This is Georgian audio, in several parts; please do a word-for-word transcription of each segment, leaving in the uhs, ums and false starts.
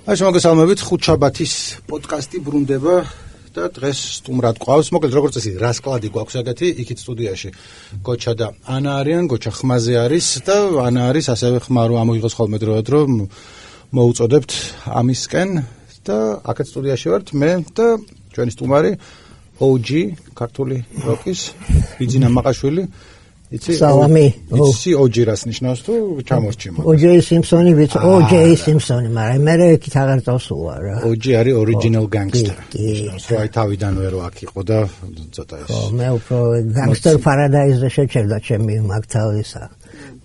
აი შემოგესალმებით ხუთშაბათის პოდკასტი ბრუნდება და დღეს სტუმრად გვყავს. მოკლედ როგორც წესი რასკლადი გვაქვს ეგეთი, იქით სტუდიაში გოჩა და ანა არიან, გოჩა ხმაზე არის და ანა არის ასევე ხმა რომ ამოიღოს ხოლმე დროად რომ მოუწოდებთ ამისკენ და აქეთ სტუდიაში ვართ მე და ჩვენი სტუმარი ო ჯი ქართული როკის ბიძინა მაყაშვილი. სალამი. იცი ო ჯი რას ნიშნავს თუ ჩამორჩი მაგას? ო ჯეი სიმსონი ვიცი, ო ჯეი სიმსონი, მაგრამ მე იქით აღარ წავსულა რა. ო ჯი არის original gangster. რა თავიდანვე რო აქ იყო და ცოტა ეს. ხო, მე უფრო gangster paradise-ზე შეჭერდა ჩემი მაგ თავისა.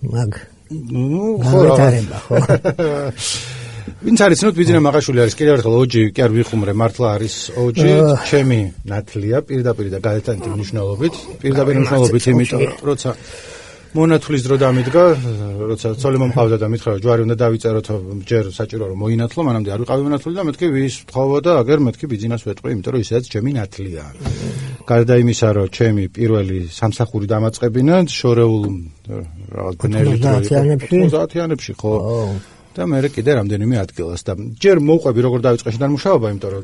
მაგ ნუ ხო ხო. ვინც არის ნუ ბიძინა მაყაშვილი არის კიდევ ერთხელ ო ჯი კი არ ვიხუმრე მართლა არის ო ჯი ჩემი ნათლია პირდაპირ და გადატანით მნიშვნელობით პირდაპირ მნიშვნელობით იმიტომ როცა მონათulis დრო დამიდგა როცა ცოლი მომყავდა და მითხრა ჯვარი უნდა დავიწეროთ ჯერ საჭირო რომ მოინათლო მანამდე არ ვიყავი მონათული და მეთქი ვის ვთხოვო და აგერ მეთქი ბიძინას ვეტყვი იმიტომ რომ ისედაც ჩემი ნათლია გარდა იმისა რომ ჩემი პირველი სამსახური დამაწყებინა შორეულ რაღაც ბნელი დრო ოცდაათიანებში ხო და მე კიდე რამდენიმე ადგილას და ჯერ მოვყვები როგორ დავიწყე შედან მუშაობა, იმიტომ რომ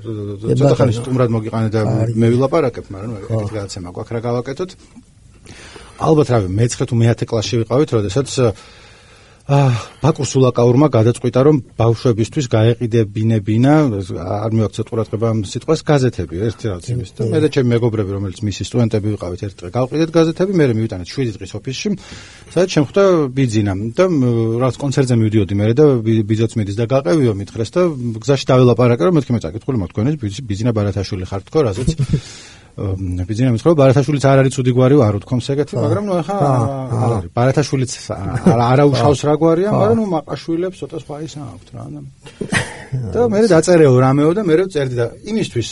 ცოტა ხანი სტუმრად მოგიყანე და მე ვილაპარაკებ, მაგრამ ეგეთი გადაცემა გვაქვს რა გავაკეთოთ. ალბათ რავი, მეცხრე თუ მეათე კლასში ვიყავით, როდესაც აა ბაკურ სულაკაურმა გადაწყვიტა რომ ბავშვებისთვის გაეყიდებინებინა, არ მივაქცევთ ყურადღება ამ სიტყვას, გაზეთები, ერთი რაღაც იმის და მე და ჩემი მეგობრები, რომელიც მისი სტუდენტები ვიყავით, ერთ დღე გავყიდეთ გაზეთები, მე მივიტანეთ შვიდი დღის ოფისში, სადაც შემხვდა ბიძინა და რაღაც კონცერტზე მივდიოდი მე და ბიძოც მიდის და გაყევიო მითხრეს და გზაში დაველაპარაკე რომ მეთქი მე წაკითხული მოთქვენეს ბიძინა ბარათაშვილი ხარ თქო, რაზეც ბიძინა მითხრა ბარათაშვილიც არ არის ცუდი გვარი არ უთქვამს ეგეთი, მაგრამ ნუ ახლა არ არის. ბარათაშვილიც არა უშავს რა გვარია, მაგრამ ნუ მაყაშვილებს ცოტა სხვა ის აქვთ რა. და მე დაწერეო რამეო და მე წერდი და იმისთვის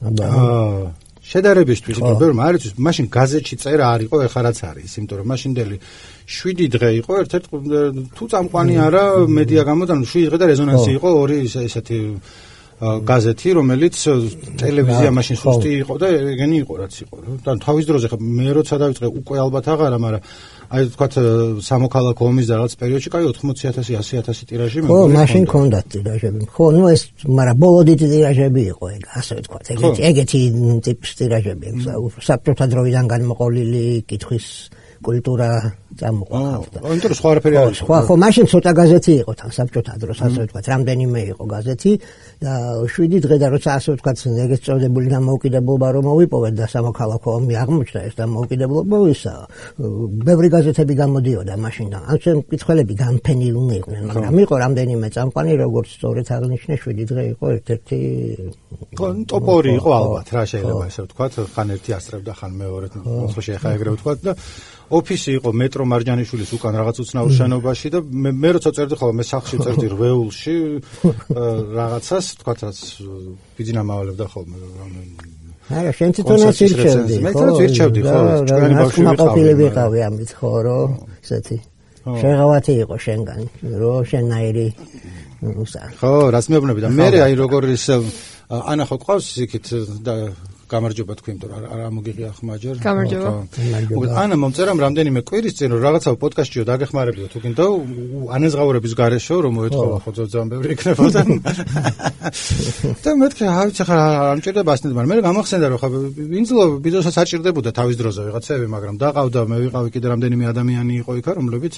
აა შედარებისთვის, იმიტომ რომ არ იცის, მაშინ გაზეთში წერა არ იყო, ეხლა რაც არის, იმიტომ რომ მაშინდელი შვიდი დღე იყო, ერთ-ერთ თუ წამყვანი არა მედია გამოდან, შვიდი დღე და რეზონანსი იყო, ორი ესეთი გაზეთი, რომელიც ტელევიზია მაშინ სუსტი იყო და ეგენი იყო რაც იყო. და თავის დროზე ხა მე როცა დავიწყე უკვე ალბათ აღარა, მაგრამ აი თქვათ სამოქალაქო ომის და რაღაც პერიოდში კაი ოთხმოცი ათასი ასი ათასი ტირაჟი მე. ხო, მაშინ ქონდათ ტირაჟები. ხო, ნუ ეს მაგრამ ბოლო დიდი ტირაჟები იყო ეგ, ასე ვთქვათ. ეგეთი ეგეთი ტიპის ტირაჟები, საბჭოთა დროიდან განმოყოლილი კითხვის კულტურა წამოყვანილდა. აა, იმიტომ რომ სხვა არაფერი არ იყო. ხო, ხო, მაშინ ცოტა გაზეთი იყო თან საბჭოთა დროს, ასე ვთქვათ, რამდენიმე იყო გაზეთი და შვიდი დღე და როცა ასე ვთქვათ, ეგეც წოდებული დამოუკიდებლობა რომ მოვიპოვეთ და სამოქალაქო ომი აღმოჩნდა ეს დამოუკიდებლობა ისა. ბევრი გაზეთები გამოდიოდა მაშინ და ამ შემ კითხველები განფენილნი იყვნენ, მაგრამ იყო რამდენიმე წამყვანი, როგორც სწორედ აღნიშნე, შვიდი დღე იყო ერთ-ერთი ტოპორი იყო ალბათ, რა შეიძლება ესე ვთქვათ, ხან ერთი ასწრებდა, ხან მეორედ, მოხში ახლა ეგრე ვთქვათ და ოფისი იყო მეტრო მარჯანიშვილის უკან რაღაც უცნაურ შენობაში და მე მე როცა წერდი ხოლმე მე სახლში წერდი რვეულში რაღაცას თქვათ რაც ბიძინა მავალებდა ხოლმე არა შენ თვითონაც ირჩევდი მე თვითონაც ირჩევდი ხო ჩვენი ბავშვები ვიყავი ამით ხო რომ ესეთი შეღავათი იყო შენგან რომ შენაირი ხო რაც მეუბნები და მე აი როგორ ის ანა ხო ყავს იქით და გამარჯობა თქვი, იმიტომ რომ არ მოგიღია ხმა ჯერ. გამარჯობა. მოკლედ ანა მომწერამ რამდენიმე კვირის წინ რომ რაღაცა პოდკასტშიო დაგეხმარებიო თუ გინდა ანეზღაურების გარეშე რომ მოეთხოვა ხო ძალიან ბევრი იქნებოდა. და მეთქი რა ვიცი ხა არ ამჭირდება ასნად, მაგრამ მე გამახსენდა რომ ხა ვინძლო ბიძოსაც აჭირდებოდა თავის დროზე ვიღაცები, მაგრამ დაყავდა მე ვიყავი კიდე რამდენიმე ადამიანი იყო იქა, რომლებიც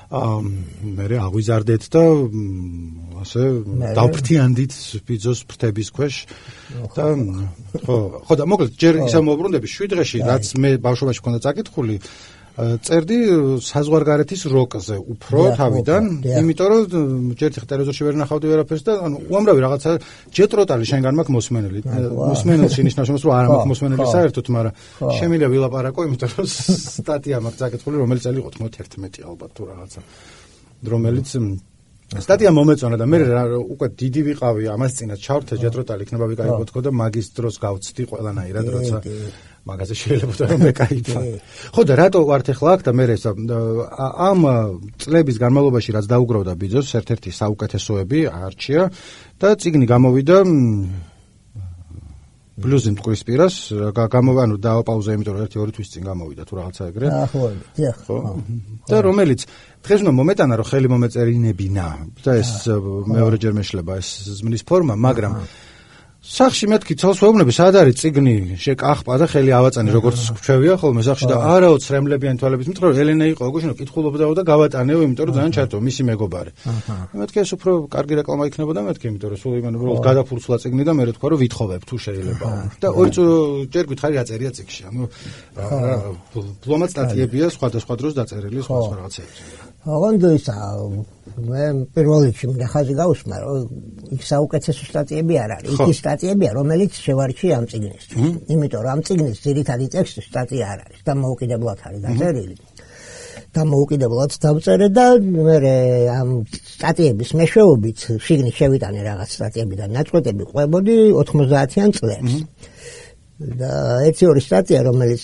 აა მე აღვიზარდეთ და ასე დავფრთიანდით ბიძოს ფრთების ქვეშ და ხო ხო და მოკლედ ჯერ ისე მოვბრუნდები შვიდ დღეში რაც მე ბავშვობაში მქონდა წაკითხული წერდი საზღვარგარეთის როკზე უფრო თავიდან იმიტომ რომ ჯერ ხე ტელევიზორში ვერ ნახავდი ვერაფერს და ანუ უამრავი რაღაცა ჯეტროტალი შენგან მაქვს მოსმენელი მოსმენელში ნიშნავს რომ არა მაქვს მოსმენელი საერთოდ მაგრამ შემიძლია ვილაპარაკო იმიტომ რომ სტატია მაქვს წაკითხული რომელიც წელი იყო თხუთმეტი ალბათ თუ რაღაცა რომელიც სტატია მომეწონა და მე უკვე დიდი ვიყავი ამას წინათ ჩავრთე ჯეტროტალი იქნება ვიკაიბო თქო და მაგის დროს გავცდი ყველანაირად როცა მაგაზე შეიძლება რომ მე кайფა. ხო და რატო ვართ ახლა აქ და მე ამ წლების განმავლობაში რაც დაუგროვდა ბიძოს ერთ-ერთი საუკეთესოები არჩია და წიგნი გამოვიდა ბლუზი მტკვრის პირას გამოვა, ანუ დააპაუზა, იმიტომ რომ ერთი ორი თვის წინ გამოვიდა თუ რაღაცა ეგრე. ახლა, ხო. და რომელიც დღეს უნდა მომეტანა, რომ ხელი მომეწერინებინა და ეს მეორეჯერ მეშლება ეს ზმნის ფორმა, მაგრამ სახში მეთქი თავს ვეუბნები, სად არის წიგნი შეკახპა და ხელი ავაწანი, როგორც გვჩვევია ხოლმე სახში და არაო ცრემლებიანი თვალებით მითხრა, რომ ელენა იყო გუშინო კითხულობდაო და გავატანეო, იმიტომ რომ ძალიან ჩართო მისი მეგობარი. მეთქი ეს უფრო კარგი რეკლამა იქნებოდა მეთქი, იმიტომ რომ სულ იმან უბრალოდ გადაფურცლა წიგნი და მე რა თქვა, რომ ვითხოვებ თუ შეიძლება. და ორი ჯერ გითხარი აწერია წიგნში. ანუ პლომატ სტატიებია სხვადასხვა დროს დაწერილი სხვა სხვა რაღაცეებზე. ოღონდ ისა მე პირველ რიგში მინდა ხაზი გავუსმა, რომ იქ საუკეთესო სტატიები არ არის. იქ სტატიებია, რომელიც შევარჩიე ამ წიგნისთვის. იმიტომ რომ ამ წიგნის ძირითადი ტექსტი სტატია არ არის და მოუკიდებლად არის დაწერილი. და მოუკიდებლად დავწერე და მე ამ სტატიების მეშვეობით შიგნით შევიტანე რაღაც სტატიებიდან ნაწყვეტები ყვებოდი ოთხმოცდაათიან წლებს. და ერთი ორი სტატია, რომელიც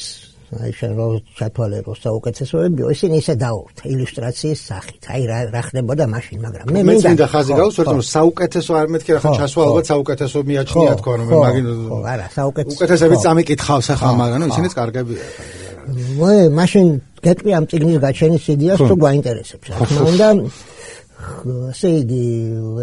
აი შენ რო ჩათვალე რო საუკეთესოებიო, ისინი ისე დაურთ ილუსტრაციის სახით. აი რა რა ხდებოდა მაშინ, მაგრამ მე მე მინდა ხაზი გავუსვერთ, რომ საუკეთესო არ მეთქი რა ხან ჩასვა ალბათ საუკეთესო მიაჩნია თქვა რომ მე მაგინ ხო არა საუკეთესო უკეთესებიც წამიკითხავს ახლა, მაგრამ ნუ ისინიც კარგებია. მე მაშინ გეტყვი ამ წიგნის გაჩენის იდეას თუ გვაინტერესებს. რა თქმა უნდა ასე იგი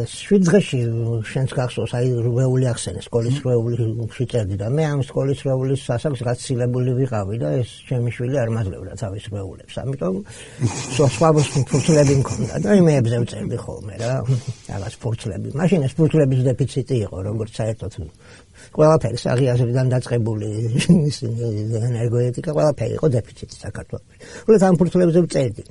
შვიდ დღეში შენს გახსოვს აი რვეული ახსენე სკოლის რვეული შეწერდი და მე ამ სკოლის რვეულის სასახს გაცილებული ვიყავი და ეს ჩემი შვილი არ მაძლევდა თავის რვეულებს, ამიტომ სხვა ფურცლები მქონდა და იმეებზე ვწერდი ხოლმე რა რაღაც ფურცლები. მაშინ ეს ფურცლების დეფიციტი იყო, როგორც საერთოდ ყველაფერი საღიაზრიდან დაწყებული ენერგოეტიკა ყველაფერი იყო დეფიციტი საქართველოში. უბრალოდ ამ ფურცლებზე ვწერდი.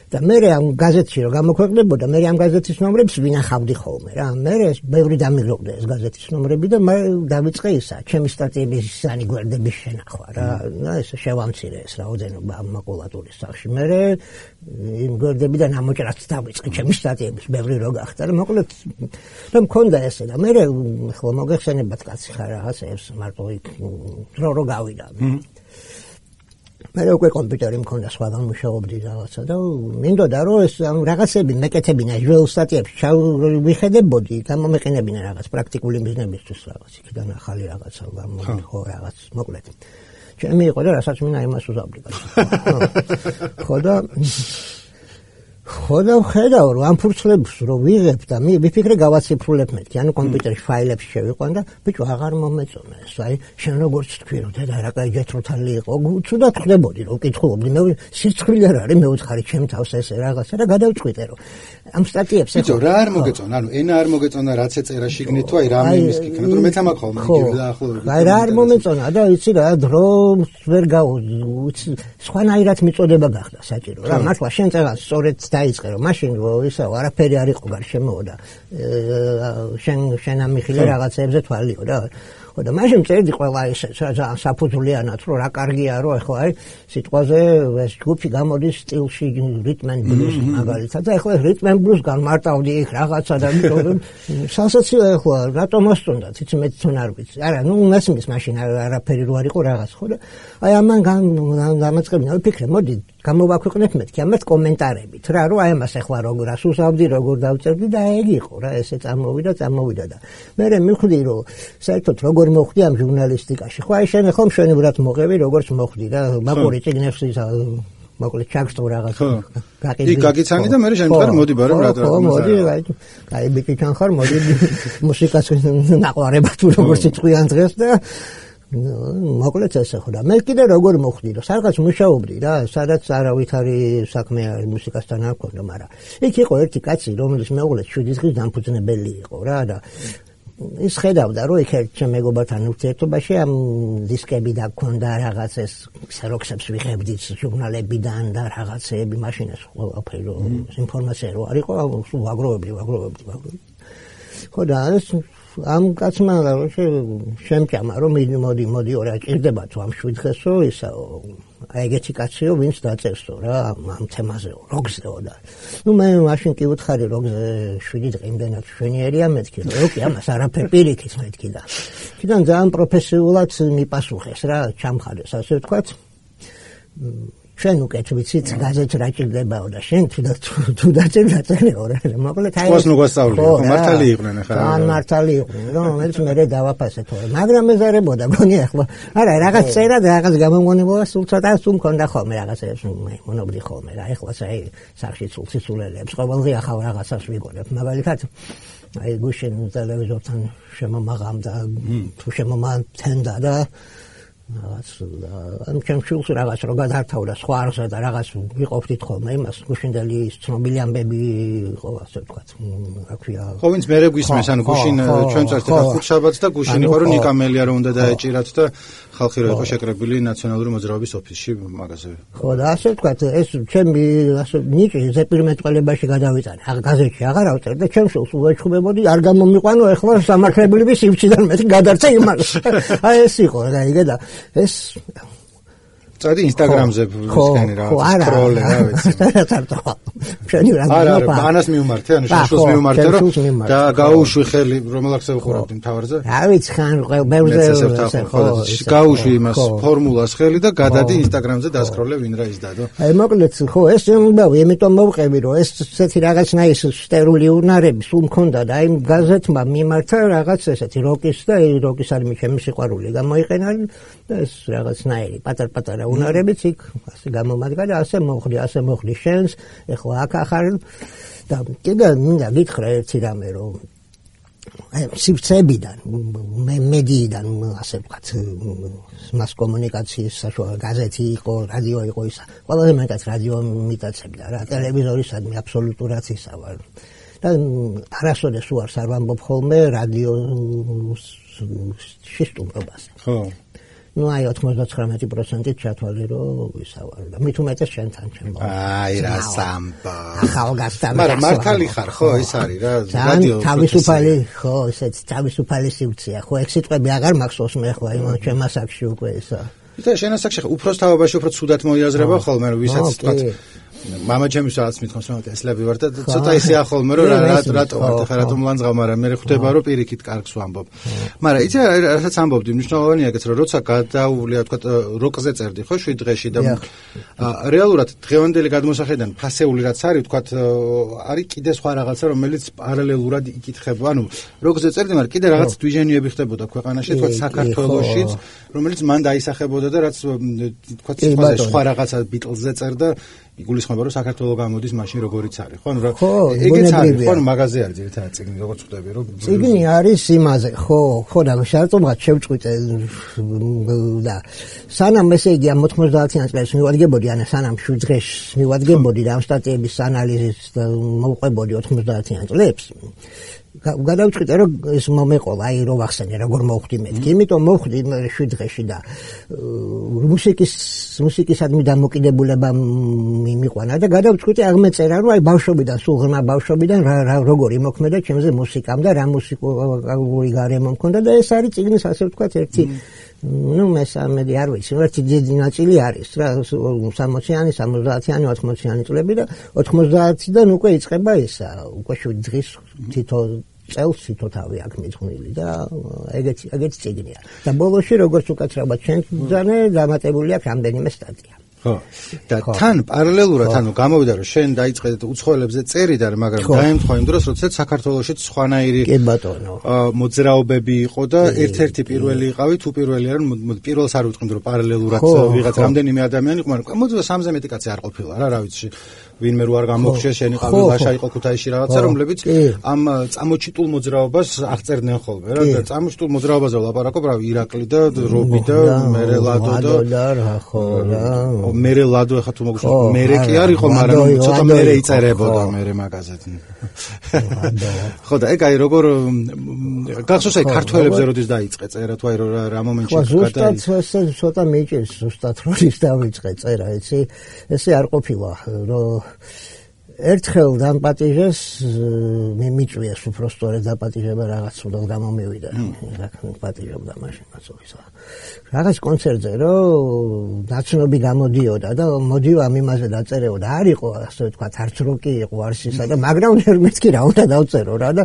და მე ამ გაზეთში რომ გამოქვეყნებოდა, მე ამ გაზეთის ნომრებს ვინახავდი ხოლმე რა. მე ბევრი დამიღრობდა ეს გაზეთის ნომრები და მე დავიწყე ისა, ჩემი სტატიების ისანი გვერდების შენახვა რა. და ეს შევამცირე ეს რაოდენობა ამ მაკულატურის სახში. მე იმ გვერდებიდან ამოჭრაც დავიწყე ჩემი სტატიების ბევრი რო გახდა და მოკლედ და მქონდა ესე და მე ხო მოგეხსენებათ კაცი ხარ რაღაცებს მარტო იქ რო რო გავიდა. მე უკვე კომპიუტერი მქონდა, სხვაგან მუშაობდი რაღაცა და მინდოდა რომ ეს რაღაცები მეკეთებინა ჟუელ სტატიებში ვიხედებოდი, გამომეყენებინა რაღაც პრაქტიკული ბიზნესისთვის რაღაც, იქიდან ახალი რაღაცა გამომიხო რაღაც, მოკლედ. ჩემი იყო და რასაც მინდა იმას უზავდი. ხო და ხო და ხედავ რომ ამ ფურცლებს რო ვიღებ და მიფიქრე გავაციფრულებ მეთქი, ანუ კომპიუტერში ფაილებში შევიყვან და ბიჭო აღარ მომეწონა ეს, აი შენ როგორც თქვი რომ დედა რა კაი ჯეთროთალი იყო, ცუდად ხდებოდი რომ კითხულობდი, მე სიცხვილე არ არის, მე უთხარი ჩემ თავს ესე რაღაცა და გადავწყვიტე რომ ამ სტატიებს ეხო რა არ მოგეწონა, ანუ ენა არ მოგეწონა, რაც ეწერა შიგნით თუ აი რამე იმის კითხნა, რომ მეც ამაქვს ხოლმე იგივე დაახლოებით. აი რა არ მომეწონა და იცი რა დრო ვერ გავუცი, სხვანაირად მიწოდება გახდა საჭირო რა, მართლა შენ წელს სწორედ დაიწყე რომ მაშინ ისევ არაფერი არ იყო გარშემო და შენ შენ ამიხილე რაღაცებზე თვალიო რა. ხო და მაშინ წერდი ყველა ისე ძალიან საფუძვლიანად რომ რა კარგია რომ ეხლა აი სიტყვაზე ეს ჯგუფი გამოდის სტილში რიტმ and blues მაგალითად და ეხლა რიტმ and blues განმარტავდი იქ რაღაცა და სასაცილო ეხლა რატომ მოსწონდა იცი მე თვითონ არ ვიცი. არა ნუ მესმის მაშინ არაფერი რო არ იყო რაღაც ხო და აი ამან გამაწყებინა ვიფიქრე მოდი გამოვაქვეყნებ მეთქი ამას კომენტარებით რა რომ აი ამას ეხლა როგორ ასუსავდი როგორ დავწერდი და ეგ იყო რა ესე წამოვიდა წამოვიდა და მე მივხვდი რომ საერთოდ როგორ მოხდი ამ ჟურნალისტიკაში. ხო აი შენ ახლა მშვენივრად მოყევი როგორც მოხდი და მაყური წიგნებს ისა მოკლედ ჩაგსტო რაღაც გაყიდე. იქ გაგიცანი და მე შემდგარ მოდი ბარემ რა რა. ხო მოდი აი აი ბიჭი თან ხარ მოდი მუსიკას ნაყარება თუ როგორც იწყვიან დღეს და მოკლედ ესე ხო და მე კიდე როგორ მოხდი რომ სადღაც მუშაობდი რა, სადაც არავითარი საქმე მუსიკასთან არ მქონდა, მაგრამ იქ იყო ერთი კაცი რომელიც მეუღლეს შვიდი დღის დამფუძნებელი იყო რა და ის ხედავდა რომ იქ ერთ ჩემ მეგობართან ურთიერთობაში ამ დისკები და გქონდა რაღაც ეს სეროქსებს ვიღებდი ჟურნალებიდან და რაღაცეები მაშინ ეს ყველაფერი რომ ინფორმაცია რო არ იყო სულ ვაგროვებდი ვაგროვებდი ვაგროვებდი. ხო და ეს ამ კაცმა შემჭამა რომ მოდი მოდი ორ აჭირდება თუ ამ შვიდ დღესო ისა აი ეგეთი კაციო ვინც დაწერსო რა ამ თემაზეო როგზეო და ნუ მე მაშინ კი უთხარი როგზე შვიდი დღე იმდენად შვენიერია მეთქი რომ ოკი ამას არაფერ პირიქით მეთქი და კიდან ძალიან პროფესიულად მიპასუხეს რა ჩამხარეს ასე ვთქვათ შენ უკეთ ვიცით გაზეთს რა ჭირდებაო და შენ თუ დაწერე დაწერეო რა მოკლედ აი ყოს ნუგვასწავლია მართალი იყვნენ ხა ან მართალი იყვნენ რომელიც მე დავაფასე თორე მაგრამ ეზარებოდა გონი ახლა არა რაღაც წერა და რაღაც გამომგონებოდა სულ ცოტა სულ მქონდა ხოლმე რაღაც ეს მონობდი ხოლმე რა ახლა საი სახში სულ სისულელებს ყოველდღე ახალ რაღაცას ვიგონებ მაგალითად აი გუშინ ტელევიზორთან შემომაღამ და თუ შემომათენდა და რაღაც ამ ჩემშულს რაღაც რო გადართავდა სხვა არხზე და რაღაც ვიყოფდით ხოლმე იმას გუშინდელი ცნობილი ამბები იყო ასე ვთქვათ რა ქვია ხო ვინც მერე გვისმეს ანუ გუშინ ჩვენ წართ ხა ხუთშაბათს და გუშინ იყო რომ ნიკამელია რომ უნდა დაეჭირათ და ხალხი რო იყო შეკრებილი ნაციონალური მოძრაობის ოფისში მაგაზე ხო და ასე ვთქვათ ეს ჩემი ასე ნიჭი ზეპირმეტყველებაში გადავიტანე აღ გაზეთში აღარ ავწერ და ჩემშულს უეჩხუბებოდი არ გამომიყვანო ახლა სამართლებრივი სივრციდან მე გადარჩა იმას აი ეს იყო რა იგე და ეს წადი ინსტაგრამზე ვისკენი რა სკროლე რა ვიცი შენი რა არა არა ანას მიუმართე ანუ შუშოს მიუმართე რომ და გაუშვი ხელი რომელაკზე ვუყურავდი მთავარზე რა ვიცი ხან ბევრზე ხო გაუშვი იმას ფორმულას ხელი და გადადი ინსტაგრამზე დასკროლე ვინ რა ის დადო აი მოკლედ ხო ეს შემბავი იმიტომ მოვყევი რომ ეს ესეთი რაღაცნაირი სტერული უნარები სულ მქონდა და აი გაზეთმა მიმართა რაღაც ესეთი როკის და როკის არმი ჩემი სიყვარული გამოიყენა და ეს რაღაცნაირი პატარ-პატარა უნარებიც იქ ასე გამომადგა და ასე მოხდი ასე მოხდი შენს ეხლა აქ ახარ და კიდე მინდა გითხრა ერთი რამე რომ აი სივრცეებიდან მე მედიიდან ასე ვთქვათ მას კომუნიკაციის საშუალო გაზეთი იყო რადიო იყო ისა ყველაზე მეტად რადიო მიტაცებდა რა ტელევიზორისადმი აბსოლუტურად ისა ვარ და არასოდეს უარს არ ვამბობ ხოლმე რადიოს შისტუმრობაზე ხო ну აი ოცდათხმეტი პროცენტით ჩათვალე რომ ვისავარ და მით უმეტეს შენთან ჩემო აი რა სამბა ახალგაზრდა მაგრამ მართალი ხარ ხო ეს არის რა რადიო თავისუფალი ხო ესეც თავისუფალი სივრცეა ხო ეგ სიტყვები აღარ მახსოვს მე ხო იმ ჩემ ასაკში უკვე ისა იტა შენ ასაკში ხო უფროს თავობაში უფრო ცუდად მოიაზრება ხოლმე რომ ვისაც თქვათ мама ჩემს რაღაც მithავს რომ ესლები ვარ და ცოტა ისე ახოლმე რომ რატო ვარ ხა რატომ ლანძღავ მაგრამ მე ხვდება რომ პირიქით კარგს ვამბობ მაგრამ იცი რასაც ამბობდი მნიშვნელოვანია ეგეც რომ როცა გადაუვლია თქვა როკზე წერდი ხო შვიდ დღეში და რეალურად დღევანდელი გადმოსახედიდან ფასეული რაც არის თქვა არის კიდე სხვა რაღაცა რომელიც პარალელურად იკითხება ანუ როკზე წერდი მაგრამ კიდე რაღაც დვიჟენიები ხდებოდა ქვეყანაში თქვა საქართველოშიც რომელიც მან დაისახებოდა და რაც თქვა სხვა რაღაცა ბიტლზე წერდა იგულისხმება რომ საქართველოს გამოდის მაშინ როგორიც არის ხო ანუ რა ეგეც არის ხო ანუ მაღაზე არის ერთად წიგნი როგორც ხვდები რომ წიგნი არის იმაზე ხო ხო და შარწმუნად შევწყვიტე და სანამ ესე იგი ამ ოთხმოცდაათიან წელს მივადგებოდი ან სანამ შვიდ დღეს მივადგებოდი და ამ სტატიების ანალიზის და მოვყვებოდი ოთხმოცდაათიან წლებს გადავწყვიტე რომ ეს მომეყოლა აი რო ვახსენე როგორ მოვხდი მეთქი იმიტომ მოვხდი შვიდ დღეში და მუსიკის მუსიკისადმი დამოკიდებულება მიმიყვანა და გადავწყვიტე აღმეწერა რომ აი ბავშვობიდან სულ ღრმა ბავშვობიდან რა როგორ იმოქმედა ჩემზე მუსიკამ და რა მუსიკალური გარემო მქონდა და ეს არის წიგნის ასე ვთქვათ ერთი ну მესამედი არ ვიცი ერთი დიდი ნაწილი არის რა სამოციანი სამოცდაათიანი ოთხმოციანი წლები და ოთხმოცდაათიდან უკვე იწყება ისა უკვე შვიდ დღის თითო წელს თითო თავი აქვს მიძღვნილი და ეგეთი ეგეთი წიგნია და ბოლოში როგორც უკაცრავად ჩვენ ძანე დამატებული აქვს რამდენიმე სტატია ხო და თან პარალელურად ანუ გამოვიდა რომ შენ დაიწყე უცხოელებზე წერიდა მაგრამ დაემთხვა იმ დროს როდესაც საქართველოში სხვანაირი კი ბატონო მოძრაობები იყო და ერთ-ერთი პირველი იყავი თუ პირველი არ პირველს არ ვიტყვი რომ პარალელურად ვიღაც რამდენიმე ადამიანი იყო მაგრამ მოძრა სამზე მეტი კაცი არ ყოფილა რა რა ვიცი ვინმე რო არ გამოგხშეს შენ იყავი ლაშა იყო ქუთაისში რაღაცა რომლებიც ამ წამოჩიტულ მოძრაობას აღწერდნენ ხოლმე რა და წამოჩიტულ მოძრაობაზე ვლაპარაკობ რა ირაკლი და რობი და მერელადო და ხო რა მერე ლადო ახლა თუ მოგხსოვს მერე კი არ იყო მაგრამ ცოტა მერე იწერებოდა მერე მაგაზეთი ხო და ეგ აი როგორ გახსოვს აი ქართველებზე როდის დაიწყე წერა თუ აი რა მომენტში გადაი ზუსტად ეს ცოტა მეჭირს ზუსტად როდის დავიწყე წერა იცი ესე არ ყოფილა რომ ერთხელ დამპატიჟეს მე მიწვიეს უფრო სწორედ დაპატიჟება რაღაც უდავ გამომივიდა რა პატიჟობდა მაშინ მაცოვისა რაღაც კონცერტზე რომ დაცნობი გამოდიოდა და მოდიო ამ იმაზე დაწერეოდა არ იყო ასე ვთქვათ არც როკი იყო არც ისა და მაგრამ მეც კი რა უნდა დავწერო რა და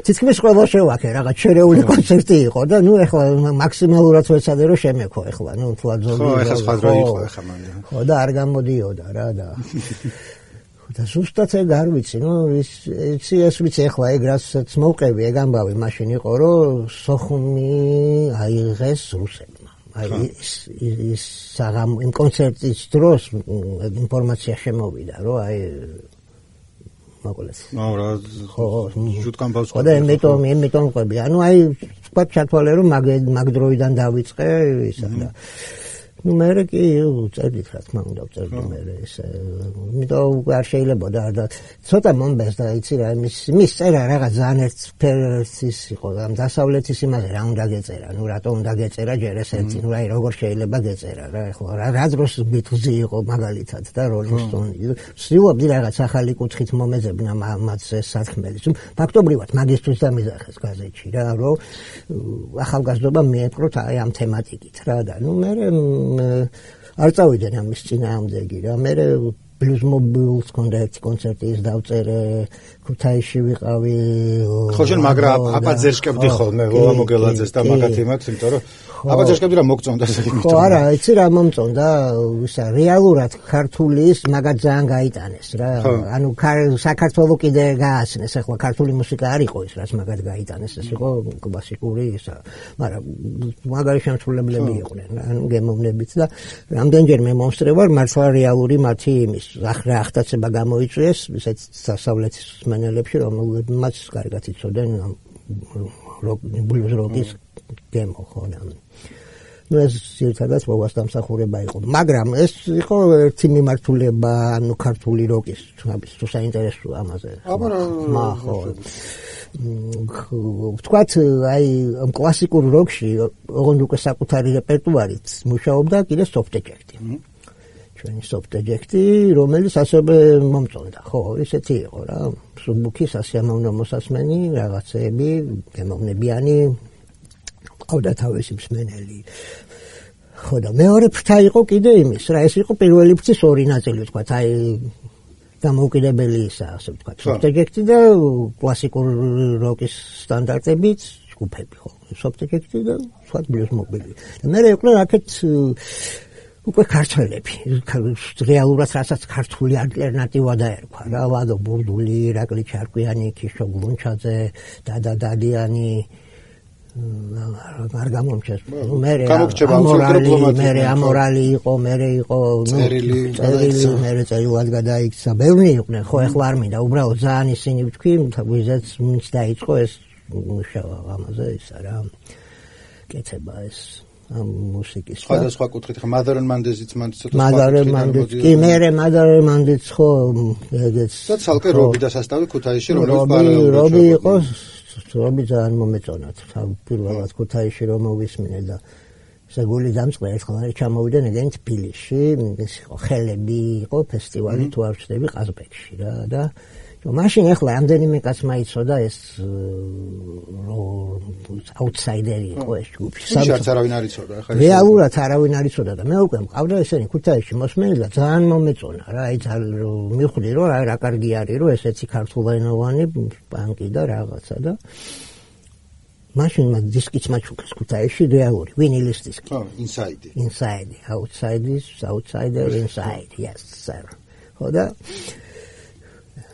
თითქმის ყველა შევაქე რაღაც შერეული კონცერტი იყო და ნუ ეხლა მაქსიმალურად ვეცადე რომ შემექო ეხლა ნუ თუა ზოგი ხო ეხლა სხვა დრო იყო ეხლა მან ხო და არ გამოდიოდა რა და და ზუსტად ეგ არ ვიცი, ნუ ის იცი ეს ვიცი ახლა ეგ რასაც მოვყევი ეგ ამბავი მაშინ იყო რომ სოხუმი აიღეს რუსებმა. აი ის ის საღამ იმ კონცერტის დროს ინფორმაცია შემოვიდა რომ აი მაგალითად. ნუ რა ხო ჟუტკან ბავშვი. ხო და იმიტომ იმიტომ ყვები. ანუ აი თქვა ჩათვალე რომ მაგ მაგ დროიდან დავიწყე ისა და ну მე კი წერდით რა თქმა უნდა წერდი მე ეს იმიტომ არ შეიძლება და ცოტა მომბეს და იცი რა იმის იმის წერა რაღაც ძალიან ერთფერცის იყო ამ დასავლეთის იმაზე რა უნდა გეწერა ну რატო უნდა გეწერა ჯერ ეს ერთი ну აი როგორ შეიძლება გეწერა რა ეხლა რა დროს ბიტლზი იყო მაგალითად და როლინგ სტონი ვსივობდი რაღაც ახალი კუთხით მომეძებნა მათ ეს საქმეlis ფაქტობრივად მაგისტრის დამიზახეს გაზეთში რა რომ ახალგაზრდობა მიეპყროთ აი ამ თემატიკით რა და ну მე არ წავიდნენ ამის წინააღმდეგი რა მე ბლუზ მობილს კონდა ერთი კონცერტი ის დავწერე ქუთაისში ვიყავი ხო შენ მაგრამ აპაძერშკებდი ხოლმე ვა მოგელაძეს და მაგათი მაქვს იმიტომ რომ აპაძერშკებდი რა მოგწონდა ეს იმიტომ ხო არა იცი რა მომწონდა ისა რეალურად ქართულის მაგათ ძალიან გაიტანეს რა ანუ საქართველოს კიდე გააცნეს ახლა ქართული მუსიკა არ იყო ის რაც მაგათ გაიტანეს ეს იყო კლასიკური ისა მაგრამ მაგარი შემსრულებლები იყვნენ ანუ გემოვნებით და რამდენჯერმე მომსწრე ვარ მართლა რეალური მათი იმის რა ახდაცება გამოიწვიეს ესეც დასავლეთის მენელებში რომელმაც კარგად იცოდნენ ბლუზ როკის გემო ხო და ну ეს ერთადაც მოვასდამსახურება იყო მაგრამ ეს იყო ერთი მიმართულება ანუ ქართული როკის თუ საინტერესო ამაზე აბა ხო ვთქვათ აი კლასიკურ როკში ოღონდ უკვე საკუთარი რეპერტუარით მუშაობდა კიდე სოფტეჯექტი ჩვენი სოფტეჯექტი რომელიც ასევე მომწონდა ხო ისეთი იყო რა სუბუქი სასიამოვნო მოსასმენი რაღაცეები გემოვნებიანი ყავდა თავისი მსმენელი ხო და მეორე ფრთა იყო კიდე იმის რა ეს იყო პირველი ფრთის ორი ნაწილი ვთქვათ აი დამოუკიდებელი ისა ასე ვთქვათ სოფტეჯექტი და კლასიკურ როკის სტანდარტებით ჯგუფები ხო სოფტეჯექტი და ვთქვათ ბლუზ მობილი და მე იყო რაკეთ უკვე ქართველები რეალურად რასაც ქართული ალტერნატივა დაერქვა რა ვადო ბურდული ირაკლი ჩარკვიანი ქიშო გლუნჩაძე დადა დადიანი არ გამომჩეს მე მე ამორალი იყო მე იყო წერილი წერილი მე წერილად გადაიქცა ბევრი იყვნენ ხო ეხლა არ მინდა უბრალოდ ძალიან ისინი ვთქვი ვიზაც მის დაიწყო ეს მუშაობა ამაზე ისა რა კეთება ეს ამ მუსიკის სხვადასხვა კუთხით ხა მადარენ მანდეზიც მან ცოტა მადარენ მანდეზ კი მე მადარენ მანდეზ ხო ეგეც და ცალკე რობი და სასტავი ქუთაისში რომელიც პარალელურად რობი იყო რობი ძალიან მომეწონათ პირველად ქუთაისში რომ მოვისმინე და საგული დამწყდა ერთხელ არ ჩამოვიდა ნეგენ თბილისში ეს იყო ხელები იყო ფესტივალი თუ არ ვწდები ყაზბეგში რა და მაშინ ახლა ამდენიმე კაცმა იცოდა ეს აუთსაიდერი იყო ეს ჯგუფი. საერთოდ არავინ არ იცოდა ახლა. რეალურად არავინ არ იცოდა და მე უკვე მყავდა ესენი ქუთაისში მოსმენილი და ძალიან მომეწონა რა. აი ძალიან მივხვდი რომ რა კარგი არის რომ ესეთი ქართულენოვანი პანკი და რაღაცა და მაშინ მაგ დისკიც მაჩუქეს ქუთაისში რეალური ვინილის დისკი. ხო, ინსაიდი. ინსაიდი, აუთსაიდი, აუთსაიდერ ინსაიდი, yes sir. ხო და